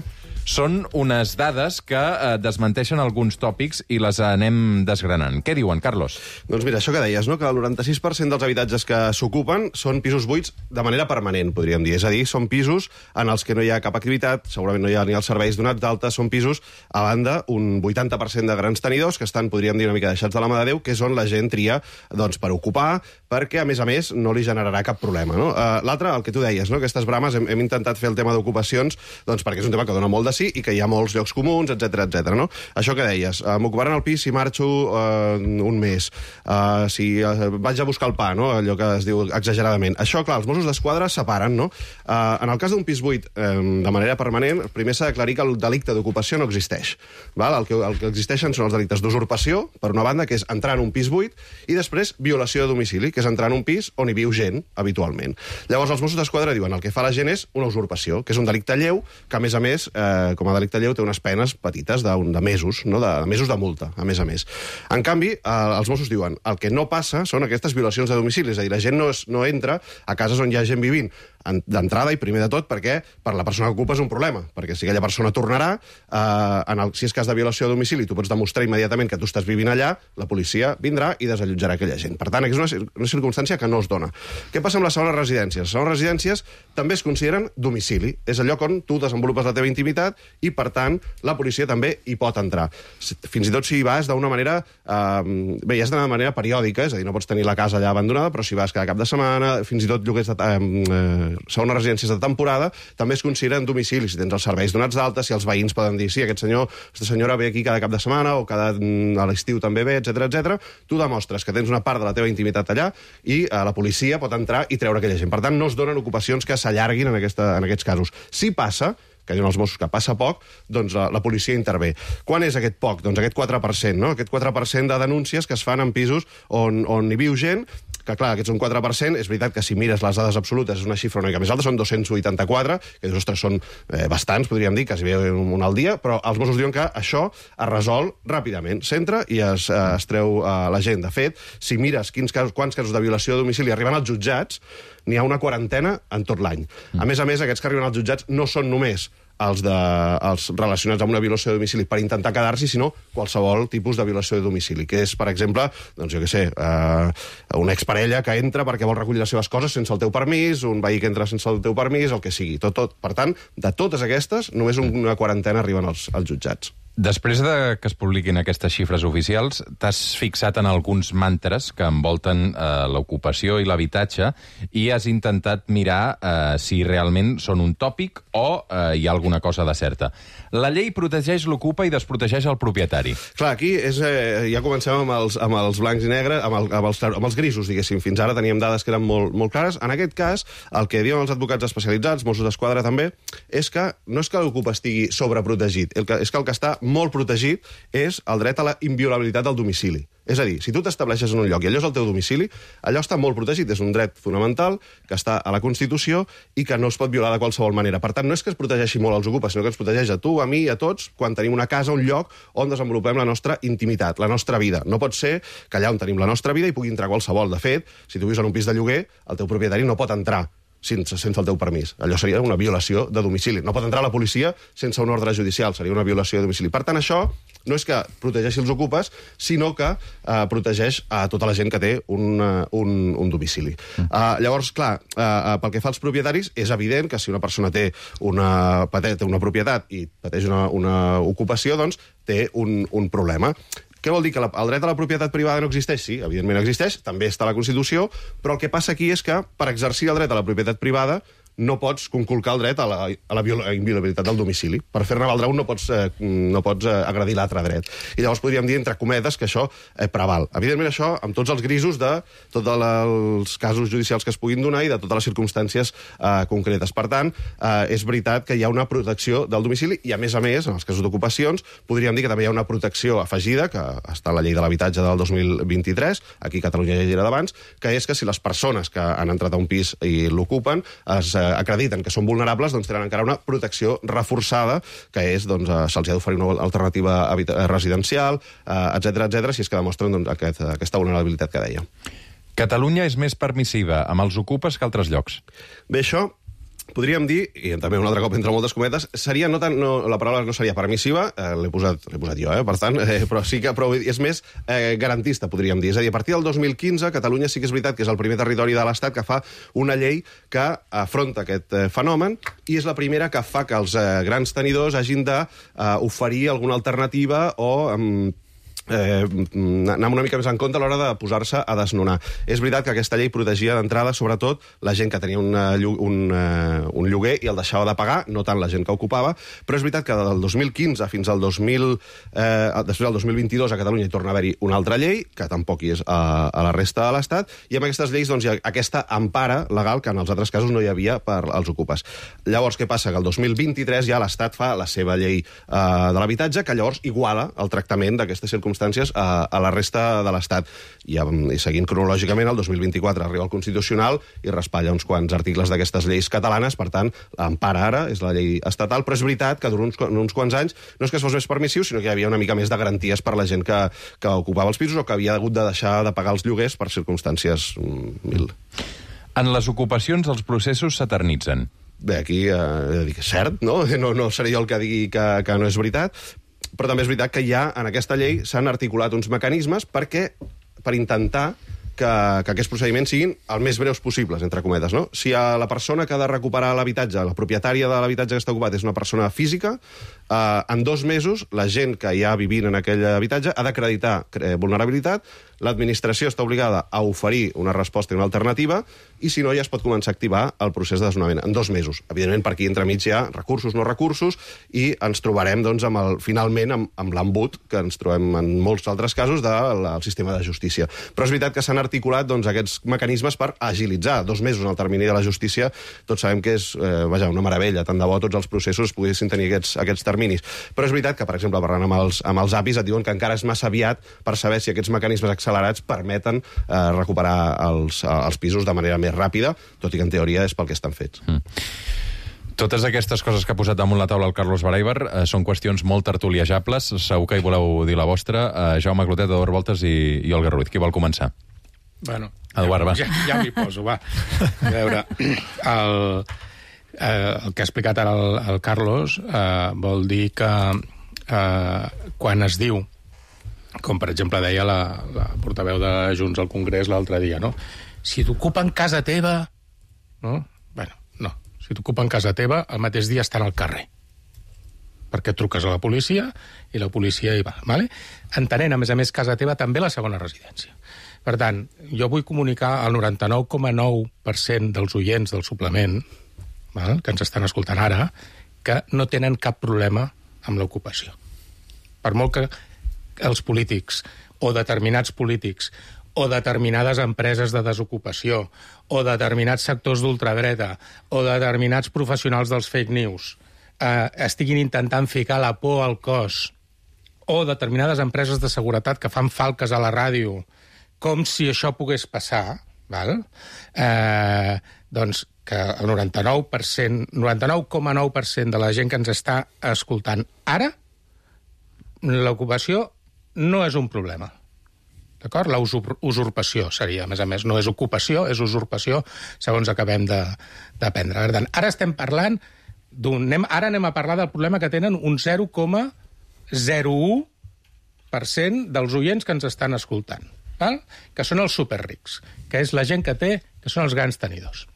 Són unes dades que eh, desmenteixen alguns tòpics i les anem desgranant. Què diuen, Carlos? Doncs mira, això que deies, no? Que el noranta-sis per cent dels habitatges que s'ocupen són pisos buits de manera permanent, podríem dir. És a dir, són pisos en els que no hi ha cap activitat, segurament no hi ha ni els serveis donats d'alta, són pisos, a banda, un vuitanta per cent de grans tenidors que estan, podríem dir, una mica deixats de la mà de Déu, que és on la gent tria doncs, per ocupar, perquè, a més a més, no li generarà cap problema. No? Uh, L'altre, el que tu deies, no? Aquestes brames, hem, hem intentat fer el tema d'ocupacions doncs, perquè és un tema que dona molt de sí i que hi ha molts llocs comuns, etcètera, etcètera. No? Això que deies, uh, m'ocuparan el pis si marxo uh, un mes, uh, si uh, vaig a buscar el pa, no? Allò que es diu exageradament. Això, clar, els Mossos d'Esquadra separen, no? Uh, en el cas d'un pis buit um, de manera permanent, primer s'ha d'aclarir que el delicte d'ocupació no existeix. Val? El, que, el que existeixen són els delictes d'usurpació, per una banda, que és entrar en un pis buit, i després violació de domicili, que és entrar en un pis on hi viu gent, habitualment. Llavors, els Mossos d'Esquadra diuen el que fa la gent és una usurpació, que és un delicte lleu, que, a més a més, eh, com a delicte lleu, té unes penes petites de, de mesos, no? de, de mesos de multa, a més a més. En canvi, eh, els Mossos diuen el que no passa són aquestes violacions de domicili, és a dir, la gent no, es, no entra a cases on hi ha gent vivint d'entrada i primer de tot perquè per la persona que ocupa és un problema, perquè si aquella persona tornarà, eh, en el, si és cas de violació de domicili, tu pots demostrar immediatament que tu estàs vivint allà, la policia vindrà i desallotjarà aquella gent. Per tant, és una, una circumstància que no es dona. Què passa amb les segones residències? Les segones residències també es consideren domicili. És el lloc on tu desenvolupes la teva intimitat i, per tant, la policia també hi pot entrar. Fins i tot si hi vas d'una manera... Eh, bé, ja és d'una manera periòdica, és a dir, no pots tenir la casa allà abandonada, però si vas cada cap de setmana, fins i tot lloguers de... Eh, segones residències de temporada, també es consideren domicili. Si tens els serveis donats d'alta, si els veïns poden dir sí, aquest senyor, aquesta senyora ve aquí cada cap de setmana o cada, a l'estiu també ve, etcètera, etcètera, tu demostres que tens una part de la teva intimitat allà i eh, la policia pot entrar i treure aquella gent. Per tant, no es donen ocupacions que s'allarguin en, aquesta, en aquests casos. Si passa, que diuen els Mossos que passa poc, doncs la, la policia intervé. Quan és aquest poc? Doncs aquest quatre per cent, no? Aquest quatre per cent de denúncies que es fan en pisos on, on hi viu gent, que clar, aquests un quatre per cent, és veritat que si mires les dades absolutes és una xifra una mica més alta, són dos-cents vuitanta-quatre, que ostres, són eh, bastants, podríem dir, quasi bé un al dia, però els Mossos diuen que això es resol ràpidament. S'entra i es, eh, es treu eh, la gent. De fet, si mires quins casos, quants casos de violació de domicili arriben als jutjats, n'hi ha una quarantena en tot l'any. A més a més, aquests que arriben als jutjats no són només els, de, els relacionats amb una violació de domicili per intentar quedar-s'hi, sinó qualsevol tipus de violació de domicili, que és, per exemple, doncs jo què sé, eh, una exparella que entra perquè vol recollir les seves coses sense el teu permís, un veí que entra sense el teu permís, el que sigui, tot, tot. Per tant, de totes aquestes, només una quarantena arriben als, als jutjats. Després de que es publiquin aquestes xifres oficials, t'has fixat en alguns mantres que envolten eh, l'ocupació i l'habitatge i has intentat mirar eh, si realment són un tòpic o eh, hi ha alguna cosa de certa. La llei protegeix l'ocupa i desprotegeix el propietari. Clar, aquí és, eh, ja comencem amb els, amb els blancs i negres, amb, el, amb, els, amb els grisos, diguéssim. Fins ara teníem dades que eren molt, molt clares. En aquest cas, el que diuen els advocats especialitzats, Mossos d'Esquadra també, és que no és que l'ocupa estigui sobreprotegit, el que, és que el que està molt protegit és el dret a la inviolabilitat del domicili. És a dir, si tu t'estableixes en un lloc i allò és el teu domicili, allò està molt protegit, és un dret fonamental que està a la Constitució i que no es pot violar de qualsevol manera. Per tant, no és que es protegeixi molt els ocupes, sinó que ens protegeix a tu, a mi i a tots quan tenim una casa, un lloc on desenvolupem la nostra intimitat, la nostra vida. No pot ser que allà on tenim la nostra vida hi pugui entrar qualsevol. De fet, si tu vius en un pis de lloguer, el teu propietari no pot entrar sense, sense el teu permís. Allò seria una violació de domicili. No pot entrar la policia sense un ordre judicial, seria una violació de domicili. Per tant, això no és que protegeixi els ocupes, sinó que eh, protegeix a tota la gent que té un, un, un domicili. Mm. Uh, llavors, clar, uh, pel que fa als propietaris, és evident que si una persona té una, té una propietat i pateix una, una ocupació, doncs té un, un problema. Què vol dir? Que la, el dret a la propietat privada no existeix? Sí, evidentment existeix, també està a la Constitució, però el que passa aquí és que per exercir el dret a la propietat privada no pots conculcar el dret a la, a la inviolabilitat del domicili. Per fer-ne valdre un no pots, eh, no pots eh, agredir l'altre dret. I llavors podríem dir, entre cometes, que això eh, preval. Evidentment, això, amb tots els grisos de tots els casos judicials que es puguin donar i de totes les circumstàncies eh, concretes. Per tant, eh, és veritat que hi ha una protecció del domicili i, a més a més, en els casos d'ocupacions, podríem dir que també hi ha una protecció afegida, que està a la llei de l'habitatge del dos mil vint-i-tres, aquí a Catalunya ja hi era d'abans, que és que si les persones que han entrat a un pis i l'ocupen es eh, acrediten que són vulnerables, doncs tenen encara una protecció reforçada, que és, doncs, eh, se'ls ha d'oferir una alternativa residencial, eh, etcètera, etcètera, si és que demostren doncs, aquest, aquesta vulnerabilitat que deia. Catalunya és més permissiva amb els ocupes que altres llocs. Bé, això podríem dir, i també un altre cop entre moltes cometes, seria no tant, no, la paraula no seria permissiva, eh, l'he posat, l'he posat jo, eh, per tant, eh, però sí que però és més eh, garantista, podríem dir. És a dir, a partir del dos mil quinze, Catalunya sí que és veritat que és el primer territori de l'Estat que fa una llei que afronta aquest eh, fenomen i és la primera que fa que els eh, grans tenidors hagin d'oferir eh, alguna alternativa o... Eh, eh, anem una mica més en compte a l'hora de posar-se a desnonar. És veritat que aquesta llei protegia d'entrada, sobretot, la gent que tenia una, un, uh, un lloguer i el deixava de pagar, no tant la gent que ocupava, però és veritat que del dos mil quinze fins al dos mil, eh, després del dos mil vint-i-dos a Catalunya hi torna a haver-hi una altra llei, que tampoc hi és a, a la resta de l'Estat, i amb aquestes lleis doncs, hi ha aquesta empara legal que en els altres casos no hi havia per als ocupes. Llavors, què passa? Que el dos mil vint-i-tres ja l'Estat fa la seva llei eh, de l'habitatge, que llavors iguala el tractament d'aquestes circumstàncies a, a la resta de l'Estat. I, I seguint cronològicament, el dos mil vint-i-quatre arriba al Constitucional i raspalla uns quants articles d'aquestes lleis catalanes, per tant, l'empara ara és la llei estatal, però és veritat que durant uns, uns quants anys no és que es fos més permissiu, sinó que hi havia una mica més de garanties per la gent que, que ocupava els pisos o que havia hagut de deixar de pagar els lloguers per circumstàncies mil. En les ocupacions els processos s'eternitzen. Bé, aquí eh, he de dir que és cert, no? No, no seré jo el que digui que, que no és veritat, però també és veritat que ja en aquesta llei s'han articulat uns mecanismes perquè, per intentar que, que aquests procediments siguin el més breus possibles, entre cometes, no? Si a la persona que ha de recuperar l'habitatge, la propietària de l'habitatge que està ocupat és una persona física, eh, en dos mesos la gent que hi ha vivint en aquell habitatge ha d'acreditar eh, vulnerabilitat, l'administració està obligada a oferir una resposta i una alternativa, i si no ja es pot començar a activar el procés de desnonament en dos mesos. Evidentment, per aquí entremig hi ha recursos, no recursos, i ens trobarem, doncs, amb el, finalment amb, amb l'embut que ens trobem en molts altres casos del de, sistema de justícia. Però és veritat que s'han articulat doncs, aquests mecanismes per agilitzar dos mesos en el termini de la justícia. Tots sabem que és eh, vaja, una meravella, tant de bo tots els processos poguessin tenir aquests, aquests terminis. Però és veritat que, per exemple, parlant amb els, amb els apis, et diuen que encara és massa aviat per saber si aquests mecanismes accelerats permeten eh, recuperar els, els pisos de manera més ràpida, tot i que en teoria és pel que estan fets. Mm. Totes aquestes coses que ha posat damunt la taula el Carlos Baraibar eh, són qüestions molt tertuliejables. Segur que hi voleu dir la vostra. Eh, Jaume Clotet, Eduard Voltes i, i Olga Ruiz. Qui vol començar? Bueno, Eduard, va. Ja, ja m'hi poso, va. A veure, el, eh, el que ha explicat ara el, el Carlos eh, vol dir que eh, quan es diu, com per exemple deia la, la portaveu de Junts al Congrés l'altre dia, no? Si t'ocupen casa teva, no? Bueno, no. Si t'ocupen casa teva, el mateix dia estan al carrer. Perquè truques a la policia i la policia hi va, ¿vale? Entenent, a més a més, casa teva també la segona residència. Per tant, jo vull comunicar al noranta-nou coma nou per cent dels oients del suplement, val? Que ens estan escoltant ara, que no tenen cap problema amb l'ocupació. Per molt que els polítics o determinats polítics o determinades empreses de desocupació o determinats sectors d'ultradreta o determinats professionals dels fake news eh, estiguin intentant ficar la por al cos, o determinades empreses de seguretat que fan falques a la ràdio com si això pogués passar, val? Eh, doncs que el noranta-nou per cent, noranta-nou coma nou per cent de la gent que ens està escoltant ara, l'ocupació no és un problema. D'acord? La usurpació seria, a més a més, no és ocupació, és usurpació, segons acabem d'aprendre. Per tant, ara estem parlant d'un... Ara anem a parlar del problema que tenen un zero coma zero u per cent dels oients que ens estan escoltant, val? Que són els superrics, que és la gent que té, que són els grans tenidors.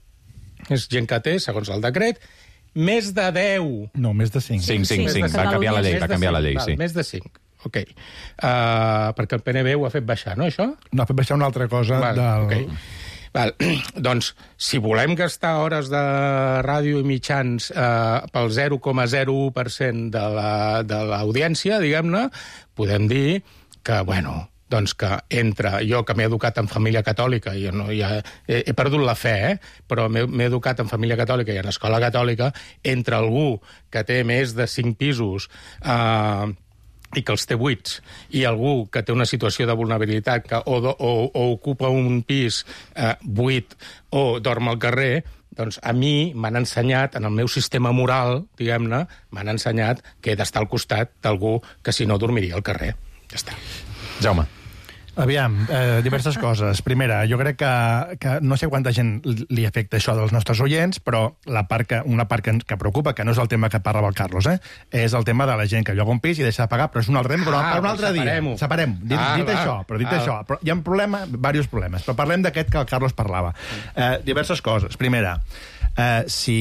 És gent que té, segons el decret, més de deu... No, més de cinc. cinc, cinc, cinc. Va canviar la llei, va canviar la llei, sí. Més de cinc. Ok. Uh, perquè el P N B ho ha fet baixar, no, això? No, ha fet baixar una altra cosa Val, del... Okay. Val. Doncs, si volem gastar hores de ràdio i mitjans uh, pel zero coma zero u per cent de l'audiència, la, diguem-ne, podem dir que, bueno, doncs que entre jo, que m'he educat en família catòlica, i no, ja, he, he perdut la fe, eh? Però m'he educat en família catòlica i en escola catòlica, entre algú que té més de cinc pisos eh, i que els té buits, i algú que té una situació de vulnerabilitat, que o, o, o ocupa un pis eh, buit o dorm al carrer, doncs a mi m'han ensenyat, en el meu sistema moral, diguem-ne, m'han ensenyat que he d'estar al costat d'algú que si no dormiria al carrer. Ja està. Jaume. Aviam, eh, diverses coses. Primera, jo crec que, que no sé quanta gent li afecta això dels nostres oients, però la part que, una part que, que preocupa, que no és el tema que parlava el Carlos, eh, és el tema de la gent que lloga un pis i deixa de pagar, però és un altre tema, però ah, per un altre dia. Separem. Dit, ah, dit això, però dit ah. això. Però hi ha un problema, diversos problemes, però parlem d'aquest que el Carlos parlava. Eh, diverses coses. Primera, eh, si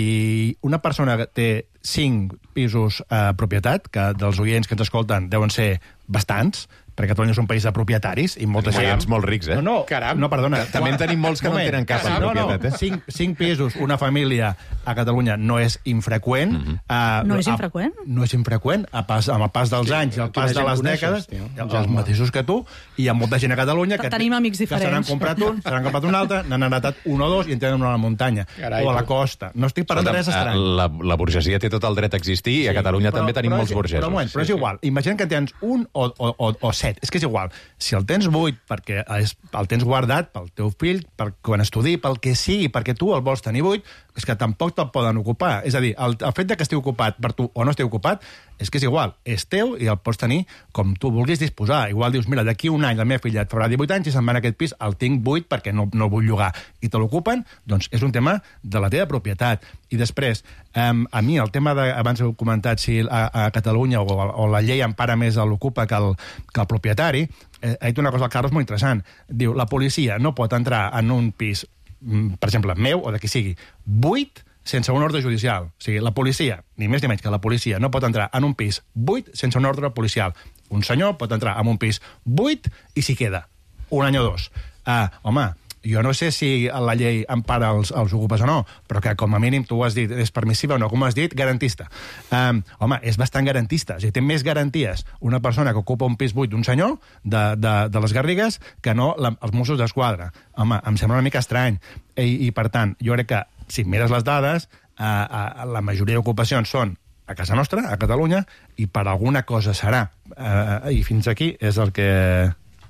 una persona té cinc pisos a eh, propietat, que dels oients que ens escolten deuen ser bastants, perquè Catalunya és un país de propietaris i molta gent... Veïns molt rics, eh? No, no, Caram. no perdona. També en tenim molts que no en tenen cap en propietat, eh? Cinc, cinc pisos, una família a Catalunya no és infreqüent. Mhm. uh, No és a- infreqüent? No és infreqüent. A pas, amb el pas dels anys i el Quina pas de gent les coneixes, dècades, tio? els, els mateixos que tu, i hi ha molta gent a Catalunya que, Tenim amics que se n'han diferents. comprat un, se n'han comprat un altre, n'han heretat un o dos i en tenen una a la muntanya. Carai, o a la tu. costa. No estic parlant de res estrany. La, la burgesia té tot el dret a existir i a Catalunya també tenim molts és, burgesos. Però, un moment, però és igual. Imagina que tens un o, o, o, o set. És que és igual. Si el tens buit perquè és, el tens guardat pel teu fill, per quan estudi, pel que sigui, perquè tu el vols tenir buit, és que tampoc te'l poden ocupar. És a dir, el, el fet de que estigui ocupat per tu o no estigui ocupat, és que és igual. És teu i el pots tenir com tu vulguis disposar. Igual dius, mira, d'aquí un any la meva filla et farà divuit anys i se'n va en aquest pis, el tinc buit perquè no, no el vull llogar. I te l'ocupen, doncs és un tema de la teva propietat. I després, um, a mi el tema de, abans heu comentat si a, a Catalunya o, o la llei empara més l'ocupa que, el, que el propietari, eh, ha dit una cosa al Carlos molt interessant. Diu, la policia no pot entrar en un pis, per exemple, meu o de qui sigui, buit, sense un ordre judicial. O sigui, la policia, ni més ni menys que la policia, no pot entrar en un pis buit sense un ordre policial. Un senyor pot entrar en un pis buit i s'hi queda. Un any o dos. Uh, home, jo no sé si la llei empara els, els ocupes o no, però que com a mínim tu ho has dit, és permissiva o no, com has dit, garantista. Um, home, és bastant garantista. O sigui, té més garanties una persona que ocupa un pis buit d'un senyor de, de, de les Garrigues que no la, els Mossos d'Esquadra. Home, em sembla una mica estrany. I, i per tant, jo crec que si mires les dades, eh, eh, la majoria d'ocupacions són a casa nostra, a Catalunya, i per alguna cosa serà. Eh, I fins aquí és el que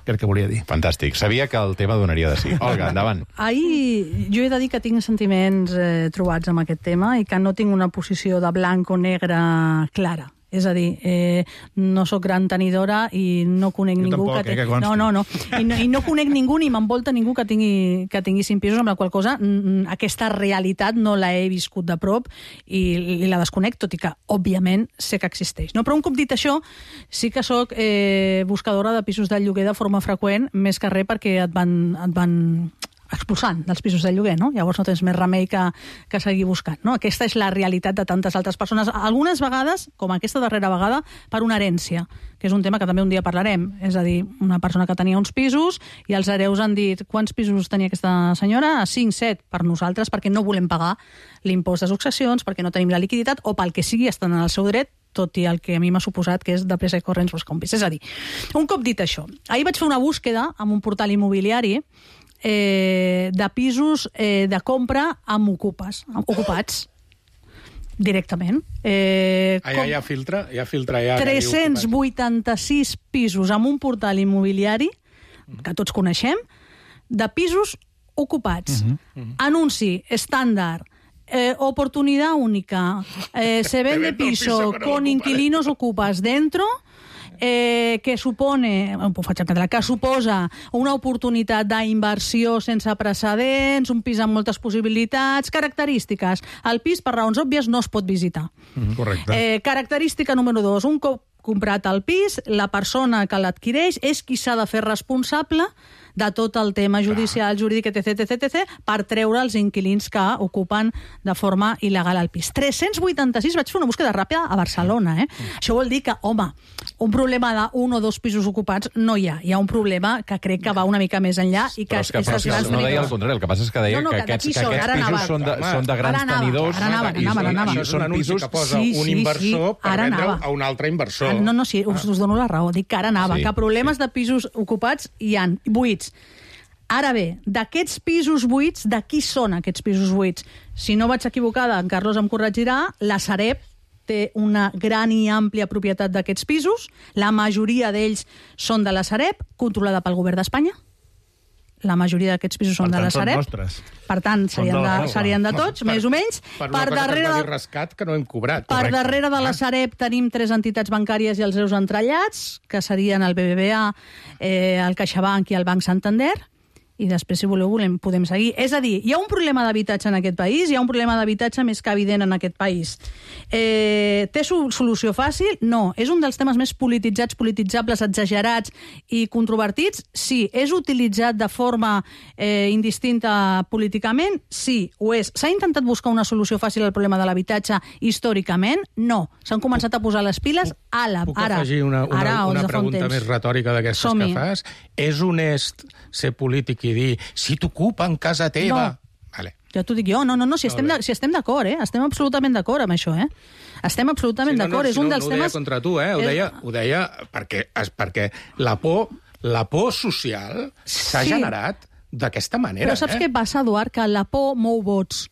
crec que volia dir. Fantàstic. Sabia que el tema donaria de sí. Olga, endavant. Ahir jo he de dir que tinc sentiments eh, trobats amb aquest tema i que no tinc una posició de blanc o negre clara. És a dir, eh, no sóc gran tenidora i no conec jo ningú tampoc, que... Eh, que no, no, no. I, no. I no conec ningú ni m'envolta ningú que tingui, que tingui cinc pisos, amb la qual cosa mm, aquesta realitat no la he viscut de prop i, i la desconec, tot i que, òbviament, sé que existeix. No? Però un cop dit això, sí que sóc eh, buscadora de pisos de lloguer de forma freqüent, més que res perquè et van... Et van expulsant dels pisos de lloguer, no? Llavors no tens més remei que, que seguir buscant, no? Aquesta és la realitat de tantes altres persones. Algunes vegades, com aquesta darrera vegada, per una herència, que és un tema que també un dia parlarem. És a dir, una persona que tenia uns pisos i els hereus han dit quants pisos tenia aquesta senyora? cinc, set, per nosaltres, perquè no volem pagar l'impost de successions, perquè no tenim la liquiditat, o pel que sigui, estan en el seu dret, tot i el que a mi m'ha suposat que és de pressa i corrents els compis. És a dir, un cop dit això, ahir vaig fer una búsqueda amb un portal immobiliari Eh, de pisos eh, de compra amb ocupes, amb ocupats directament. Eh, ah, ja hi ha filtre? Hi ha filtre ja tres-cents vuitanta-sis pisos amb un portal immobiliari, que tots coneixem, de pisos ocupats. Uh-huh. Uh-huh. Anunci, estàndard, eh, oportunidad única, eh, se vende piso con inquilinos ocupas dentro... Eh, que supone, ho faig en català, que suposa una oportunitat d'inversió sense precedents, un pis amb moltes possibilitats, característiques. El pis, per raons òbvies, no es pot visitar. Mm, correcte. Eh, característica número dos, un cop comprat el pis, la persona que l'adquireix és qui s'ha de fer responsable de tot el tema judicial, jurídic, etc, etc, etc, per treure els inquilins que ocupen de forma il·legal el pis. tres-cents vuitanta-sis, vaig fer una búsqueda ràpida a Barcelona, eh? Mm. Això vol dir que, home, un problema d'un o dos pisos ocupats no hi ha. Hi ha un problema que crec que va una mica més enllà i que, però és que, és però els és que grans no deia tenidors. el contrari, el que passa és que deia No, no, que, que aquests, d'aquí que són, aquests ara pisos anava. són de, són de grans Ara anava, tenidors. ara anava, i, anava, anava. i, Això és un són anunci pisos... que posa Sí, un sí, inversor sí, per ara vendre-ho anava. a un altre inversor. Ah, no, no, sí, us, us dono la raó. Dic que ara anava, Sí, que problemes sí. de pisos ocupats hi han, buits. Ara bé, d'aquests pisos buits, de qui són aquests pisos buits? Si no vaig equivocada, en Carlos em corregirà, la Sareb té una gran i àmplia propietat d'aquests pisos, la majoria d'ells són de la Sareb, controlada pel govern d'Espanya. La majoria d'aquests pisos són Per de tant, la són Sareb. nostres. Per tant, Són serien de la de, Sareb. serien de tots, més o menys. Per una cosa darrere que es va de- dir rescat que no hem cobrat. Per Correcte. darrere de la Ah. Sareb tenim tres entitats bancàries i els seus entrellats, que serien el B B V A, eh, el CaixaBank i el Banc Santander, i després, si voleu, volem, podem seguir. És a dir, hi ha un problema d'habitatge en aquest país, hi ha un problema d'habitatge més que evident en aquest país. Eh, té solució fàcil? No. És un dels temes més polititzats, polititzables, exagerats i controvertits? Sí. És utilitzat de forma eh, indistinta políticament? Sí, ho és. S'ha intentat buscar una solució fàcil al problema de l'habitatge històricament? No. S'han començat a posar les piles ara. Puc afegir una, una, ara, una pregunta més retòrica d'aquestes que fas? És honest ser polític i dir si t'ocupen casa teva? No. Vale. Ja t'ho dic jo. No, no, no, si estem, de, si estem d'acord, eh? Estem absolutament d'acord amb això, eh? Estem absolutament sí, no, d'acord. No, és un no, dels no ho temes... deia contra tu, eh? Ho deia, ho deia perquè, perquè la por, la por social s'ha sí. generat d'aquesta manera. Però saps eh? què passa, Eduard? Que la por mou vots.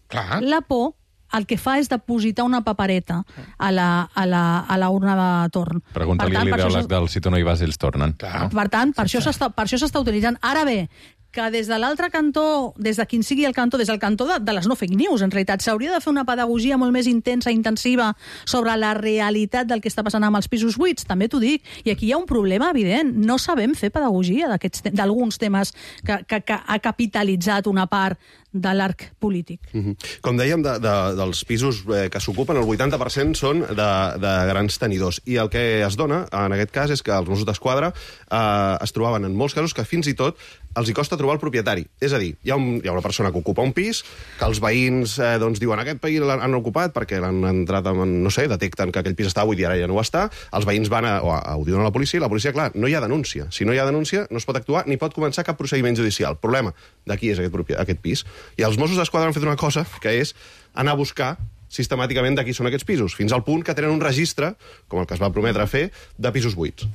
Clar. La por el que fa és depositar una papereta a la, a la, a la urna de torn. Pregunta-li a l'ideòleg del si tu no hi vas, ells tornen. No? Per tant, per això s'està per això s'està utilitzant. Ara bé, que des de l'altre cantó, des de quin sigui el cantó, des del cantó de, de les no fake news, en realitat, s'hauria de fer una pedagogia molt més intensa, intensiva, sobre la realitat del que està passant amb els pisos buits, també t'ho dic. I aquí hi ha un problema evident. No sabem fer pedagogia d'alguns temes que, que, que ha capitalitzat una part de l'arc polític. Mm-hmm. Com dèiem, de, de, dels pisos eh, que s'ocupen, el vuitanta per cent són de, de grans tenidors. I el que es dona, en aquest cas, és que els Mossos d'Esquadra eh, es trobaven en molts casos que fins i tot els hi costa trobar el propietari. És a dir, hi ha, un, hi ha una persona que ocupa un pis, que els veïns eh, doncs, diuen aquest país l'han ocupat perquè l'han entrat, amb, no sé, detecten que aquell pis està buit i ara ja no ho està, els veïns van a, o a, ho diuen a la policia, i la policia, clar, no hi ha denúncia. Si no hi ha denúncia, no es pot actuar ni pot començar cap procediment judicial. El problema d'aquí és aquest, aquest pis. I els Mossos d'Esquadra han fet una cosa, que és anar a buscar sistemàticament de qui són aquests pisos, fins al punt que tenen un registre, com el que es va prometre fer, de pisos buits,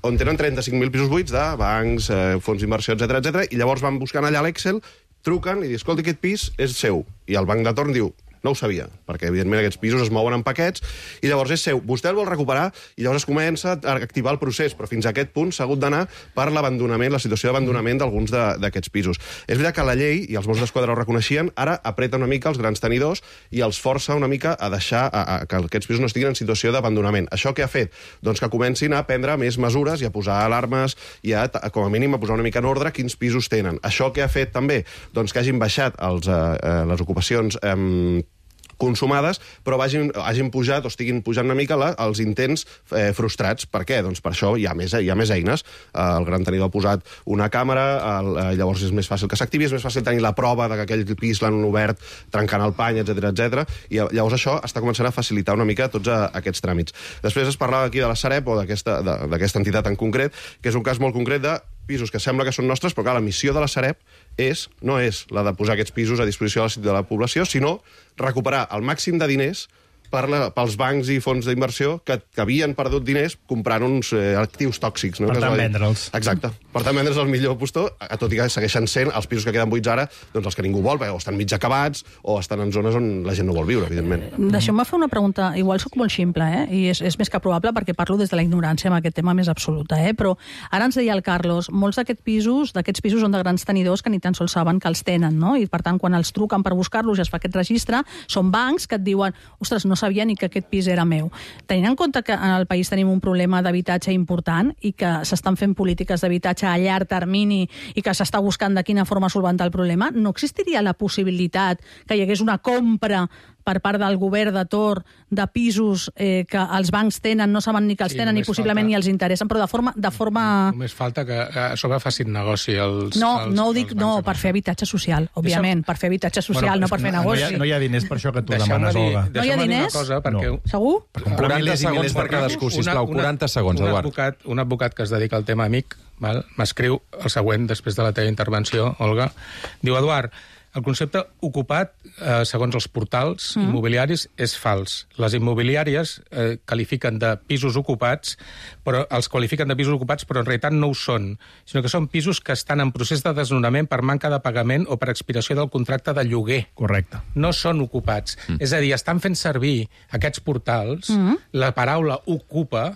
on tenen trenta-cinc mil pisos buits de bancs, eh, fons d'inversió, etcètera, etcètera, i llavors van buscant allà a l'Excel, truquen i diuen, escolta, aquest pis és seu. I el banc de torn diu, no ho sabia, perquè evidentment aquests pisos es mouen en paquets, i llavors és seu. Vostè el vol recuperar, i llavors es comença a activar el procés, però fins a aquest punt s'ha hagut d'anar per l'abandonament, la situació d'abandonament d'alguns d'aquests pisos. És veritat que la llei, i els Mossos d'Esquadra ho reconeixien, ara apreta una mica els grans tenidors i els força una mica a deixar a, a, que aquests pisos no estiguin en situació d'abandonament. Això què ha fet? Doncs que comencin a prendre més mesures i a posar alarmes i a, com a mínim, a posar una mica en ordre quins pisos tenen. Això què ha fet també? Doncs que hagin baixat els, eh, les ocupacions eh, consumades, però vagin, hagin pujat o estiguin pujant una mica la, els intents eh, frustrats. Per què? Doncs per això hi ha més, hi ha més eines. Eh, el gran tenidor ha posat una càmera, el, eh, llavors és més fàcil que s'activi, és més fàcil tenir la prova de que aquell pis l'han obert trencant el pany, etcètera, etcètera. I llavors això està començant a facilitar una mica tots a, aquests tràmits. Després es parlava aquí de la Sareb o d'aquesta entitat en concret, que és un cas molt concret de pisos que sembla que són nostres, però clar, la missió de la Sareb és, no és la de posar aquests pisos a disposició de la població, sinó recuperar el màxim de diners per la, pels bancs i fons d'inversió que, que havien perdut diners comprant uns eh, actius tòxics. No? Per tant, vendre'ls. Exacte. Per tant, vendre'ls el millor postor, tot i que segueixen sent els pisos que queden buits ara, doncs els que ningú vol, perquè o estan mig acabats o estan en zones on la gent no vol viure, evidentment. Deixeu-me fer una pregunta, igual soc molt ximple, eh? I és, és més que probable perquè parlo des de la ignorància amb aquest tema més absoluta, eh? Però ara ens deia el Carlos, molts d'aquests pisos, d'aquests pisos són de grans tenidors que ni tan sols saben que els tenen, no? I per tant, quan els truquen per buscar-los i es fa aquest registre, són bancs que et diuen, ostres, no sabia ni que aquest pis era meu. Tenint en compte que en el país tenim un problema d'habitatge important i que s'estan fent polítiques d'habitatge a llarg termini i que s'està buscant de quina forma solventar el problema, no existiria la possibilitat que hi hagués una compra per part del govern de torn de pisos eh, que els bancs tenen, no saben ni que els sí, tenen ni possiblement falta... ni els interessen, però de forma... De forma... Només falta que a sobre facin negoci els... No, els, no ho dic, no, per fer habitatge social, òbviament, Deixa'm... per fer habitatge social, bueno, no per fer no, negoci. No hi, ha, no hi ha diners per això que tu demanes, dir, Olga. No hi ha diners? Cosa, perquè... no. Segur? Per quaranta segons per cadascú, sisplau, quaranta segons, un Eduard. Advocat, un advocat que es dedica al tema amic m'escriu el següent després de la teva intervenció, Olga. Diu, Eduard, el concepte ocupat, eh, segons els portals mm. immobiliaris, és fals. Les immobiliàries eh, qualifiquen de pisos ocupats, però els qualifiquen de pisos ocupats, però en realitat no ho són, sinó que són pisos que estan en procés de desnonament per manca de pagament o per expiració del contracte de lloguer. Correcte. No són ocupats. Mm. És a dir, estan fent servir aquests portals mm. la paraula ocupa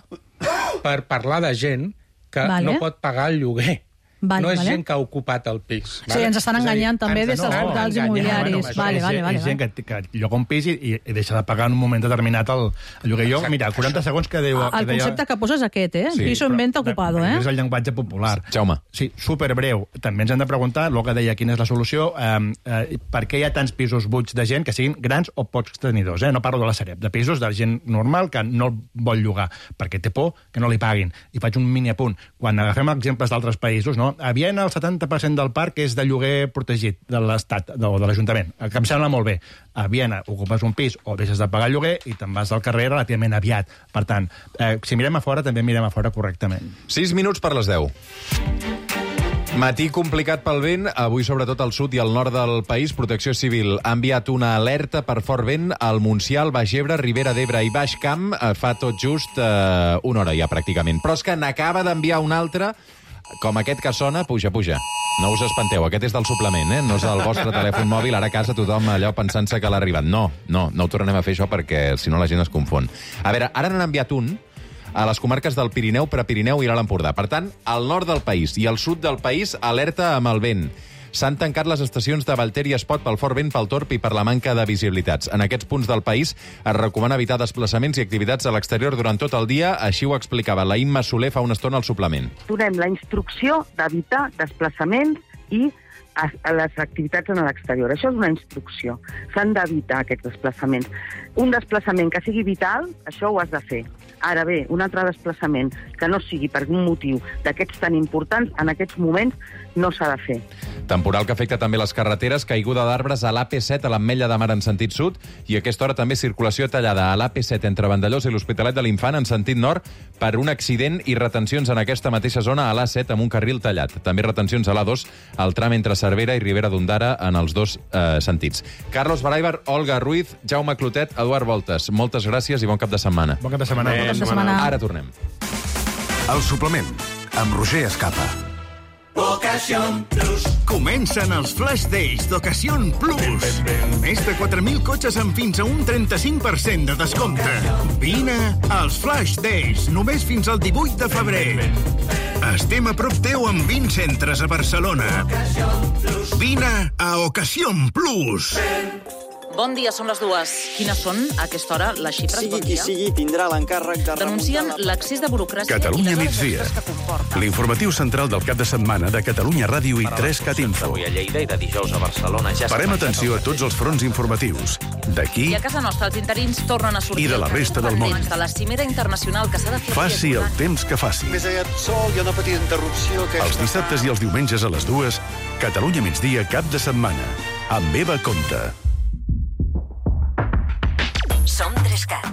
per parlar de gent que vale. no pot pagar el lloguer. Vale, no és vale. gent que ha ocupat el pis. Sí, ens estan enganyant també des dels no, portals enganyant, immobiliaris. bueno, això Vale, és, vale, vale. és gent que, que lloga un pis i, i deixa de pagar en un moment determinat el, el lloguer. Jo, mira, quaranta segons que diu... El que concepte que poses és aquest, eh? Sí, Piso en venta ocupado, eh? És el llenguatge popular. Jaume. Sí, superbreu. També ens hem de preguntar, el que deia, quina és la solució, eh, eh, per què hi ha tants pisos buits de gent que siguin grans o pocs tenidors, eh? No parlo de la Sareb, de pisos de gent normal que no el vol llogar, perquè té por que no li paguin. I faig un mini apunt. Quan agafem exemples d'altres països, no? A Viena el setanta per cent del parc és de lloguer protegit de l'Estat o de l'Ajuntament, que em sembla molt bé. A Viena ocupes un pis o deixes de pagar el lloguer i te'n vas al carrer relativament aviat. Per tant, eh, si mirem a fora, també mirem a fora correctament. sis minuts per les deu. Matí complicat pel vent, avui sobretot al sud i al nord del país. Protecció Civil ha enviat una alerta per fort vent al Montsià, al Baix Ebre, Ribera d'Ebre i Baix Camp. Fa tot just eh, una hora ja, pràcticament. Però és que n'acaba d'enviar una altra, com aquest que sona, puja, puja. No us espanteu, aquest és del suplement, eh? No és el vostre telèfon mòbil, ara a casa tothom allò pensant-se que l'ha arribat. No, no, no ho tornem a fer això perquè si no la gent es confon. A veure, ara n'han enviat un a les comarques del Pirineu, Prepirineu i l'Alt Empordà. Per tant, al nord del país i al sud del país, alerta amb el vent. S'han tancat les estacions de Valter i Espot pel fort vent, pel torb i per la manca de visibilitats. En aquests punts del país es recomana evitar desplaçaments i activitats a l'exterior durant tot el dia, així ho explicava la Imma Soler fa una estona al suplement. Donem la instrucció d'evitar desplaçaments i a, a les activitats en l'exterior. Això és una instrucció. S'han d'evitar aquests desplaçaments. Un desplaçament que sigui vital, això ho has de fer. Ara bé, un altre desplaçament que no sigui per un motiu d'aquests tan importants, en aquests moments no s'ha de fer. Temporal que afecta també les carreteres, caiguda d'arbres a l'A P set a l'Ametlla de Mar en sentit sud i a aquesta hora també circulació tallada a l'A P set entre Vandellòs i l'Hospitalet de l'Infant en sentit nord per un accident i retencions en aquesta mateixa zona a l'A set amb un carril tallat. També retencions a l'A dos al tram entre Cervera i Ribera d'Ondara en els dos eh, sentits. Carlos Baraibar, Olga Ruiz, Jaume Clotet, Eduard Voltes. Moltes gràcies i bon cap de setmana. Bon cap de setmana. Bon cap de setmana. Ara tornem. El suplement, amb Roger Escapa. Ocasión Plus. Comencen els Flash Days d'Ocasión Plus. Més de quatre mil cotxes amb fins a un trenta-cinc per cent de descompte. Vine als Flash Days, només fins al divuit de febrer. Estem a prop teu amb vint centres a Barcelona. Vine a Ocasión Plus. Bon dia, són les dues. Quines són, a aquesta hora, les xifres? Sigui bon qui dia? sigui, tindrà l'encàrrec de... Denuncien l'accés de burocràcia Catalunya i les migdia. hores extres que comporta. L'informatiu central del cap de setmana de Catalunya Ràdio i tres cat info. Avui a Lleida i de dijous a Barcelona ja Farem atenció a tots els fronts informatius. D'aquí I a casa nostra els interins tornen a sortir... I de la resta del món. De la cimera internacional que s'ha de fer... faci el temps que faci. Més aviat sol, hi ha una petita interrupció que... Els dissabtes i els diumenges a les dues, Catalunya migdia cap de setmana. Amb Eva Conta. Som tres-cat.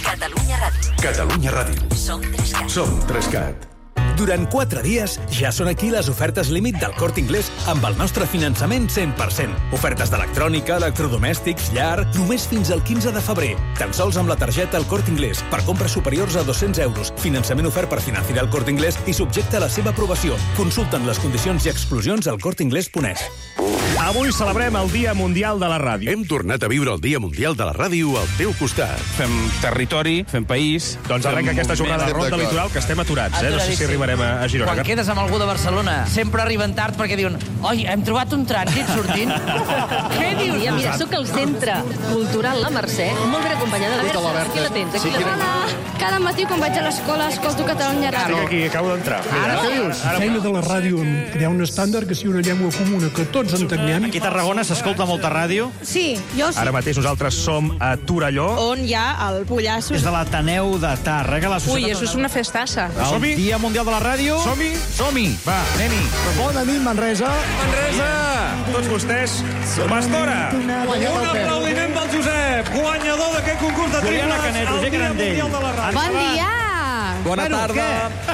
Catalunya Ràdio. Catalunya Ràdio. Som tres-cat. Som tres cat. Durant quatre dies ja són aquí les ofertes límit del Corte Inglés amb el nostre finançament cent per cent. Ofertes d'electrònica, electrodomèstics, llar, només fins al quinze de febrer. Tan sols amb la targeta El Corte Inglés per compres superiors a dos-cents euros. Finançament ofert per Financiar El Corte Inglés i subjecte a la seva aprovació. Consulten les condicions i exclusions al corte inglés punt es. Avui celebrem el Dia Mundial de la Ràdio. Hem tornat a viure el Dia Mundial de la Ràdio al teu costat. Fem territori, fem país... Doncs arrenca aquesta jornada de ronda litoral que estem aturats, eh? No sé si arribarem a, a Girona. Quan quedes amb algú de Barcelona, sempre arriben tard perquè diuen oi, hem trobat un trànsit sortint. Què dius? Mira, mira, soc al Centre Cultural La Mercè, molt ben acompanyada. A veure, aquí la tens, aquí la tens. Cada matí quan vaig a l'escola escolto Catalunya Ràdio. Estic aquí, acabo d'entrar. Ara, què dius? La feina de la ràdio en crear un estàndard que sigui una llengua comuna que tots entenguem. Aquí a Tarragona s'escolta molta ràdio. Sí, jo sí. Ara mateix nosaltres som a Torelló. On hi ha el Pollasso. És de l'Ateneu de Tàrrega, la Ui, això és una festassa. El Dia Mundial de la Ràdio. Som-hi? Som-hi. Va, anem-hi. Bona nit, Manresa. Manresa! Tots vostès, Pastora. Un aplaudiment pel Josep, guanyador d'aquest concurs de triples al Dia Mundial de la Ràdio. Bon dia! Bona tarda.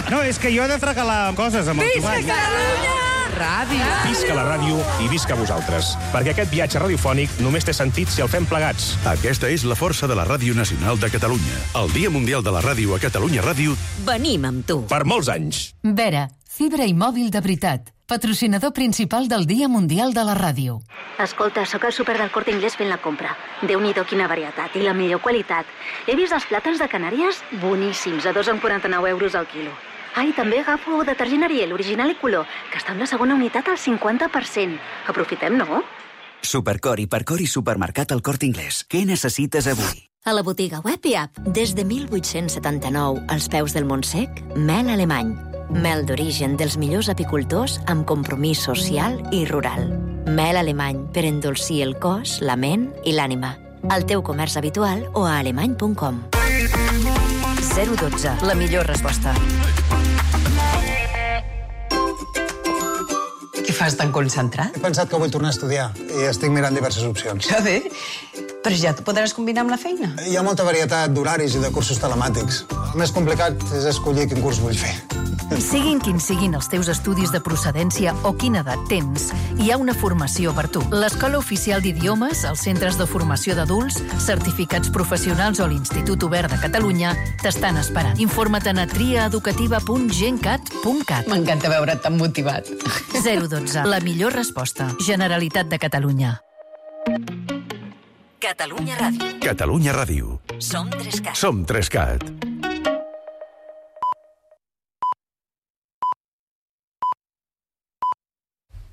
No, és que jo he de fregalar coses amb el Visca Catalunya! Ràdio. Visca la ràdio i visca vosaltres. Perquè aquest viatge radiofònic només té sentit si el fem plegats. Aquesta és la força de la Ràdio Nacional de Catalunya. El Dia Mundial de la Ràdio a Catalunya Ràdio. Venim amb tu. Per molts anys. Vera, fibra i mòbil de veritat. Patrocinador principal del Dia Mundial de la Ràdio. Escolta, sóc al súper del Corte Inglés fent la compra. Déu-n'hi-do quina varietat i la millor qualitat. He vist els plàtans de Canàries boníssims, a dos coma quaranta-nou euros al quilo. Ah, i també agafo detergent Ariel, original i color, que està amb la segona unitat al cinquanta per cent. Aprofitem, no? Supercor, Hipercor i Supermercat El Corte Inglés. Què necessites avui? A la botiga web i app, des de mil vuit-cents setanta-nou, als peus del Montsec, mel alemany. Mel d'origen dels millors apicultors amb compromís social i rural. Mel alemany per endolcir el cos, la ment i l'ànima. Al teu comerç habitual o a alemany punt com. zero dotze, la millor resposta. Què fas tan concentrat? He pensat que vull tornar a estudiar i estic mirant diverses opcions. Que bé, però ja t'ho podràs combinar amb la feina. Hi ha molta varietat d'horaris i de cursos telemàtics. El més complicat és escollir quin curs vull fer. Siguin quins siguin els teus estudis de procedència o quina edat tens, hi ha una formació per tu. L'Escola Oficial d'Idiomes, els centres de formació d'adults, certificats professionals o l'Institut Obert de Catalunya t'estan esperant. Informa't a triaeducativa punt gencat punt cat. M'encanta veure't tan motivat. zero dotze, la millor resposta. Generalitat de Catalunya. Catalunya Ràdio. Catalunya Ràdio. Som Trescat. Som Trescat.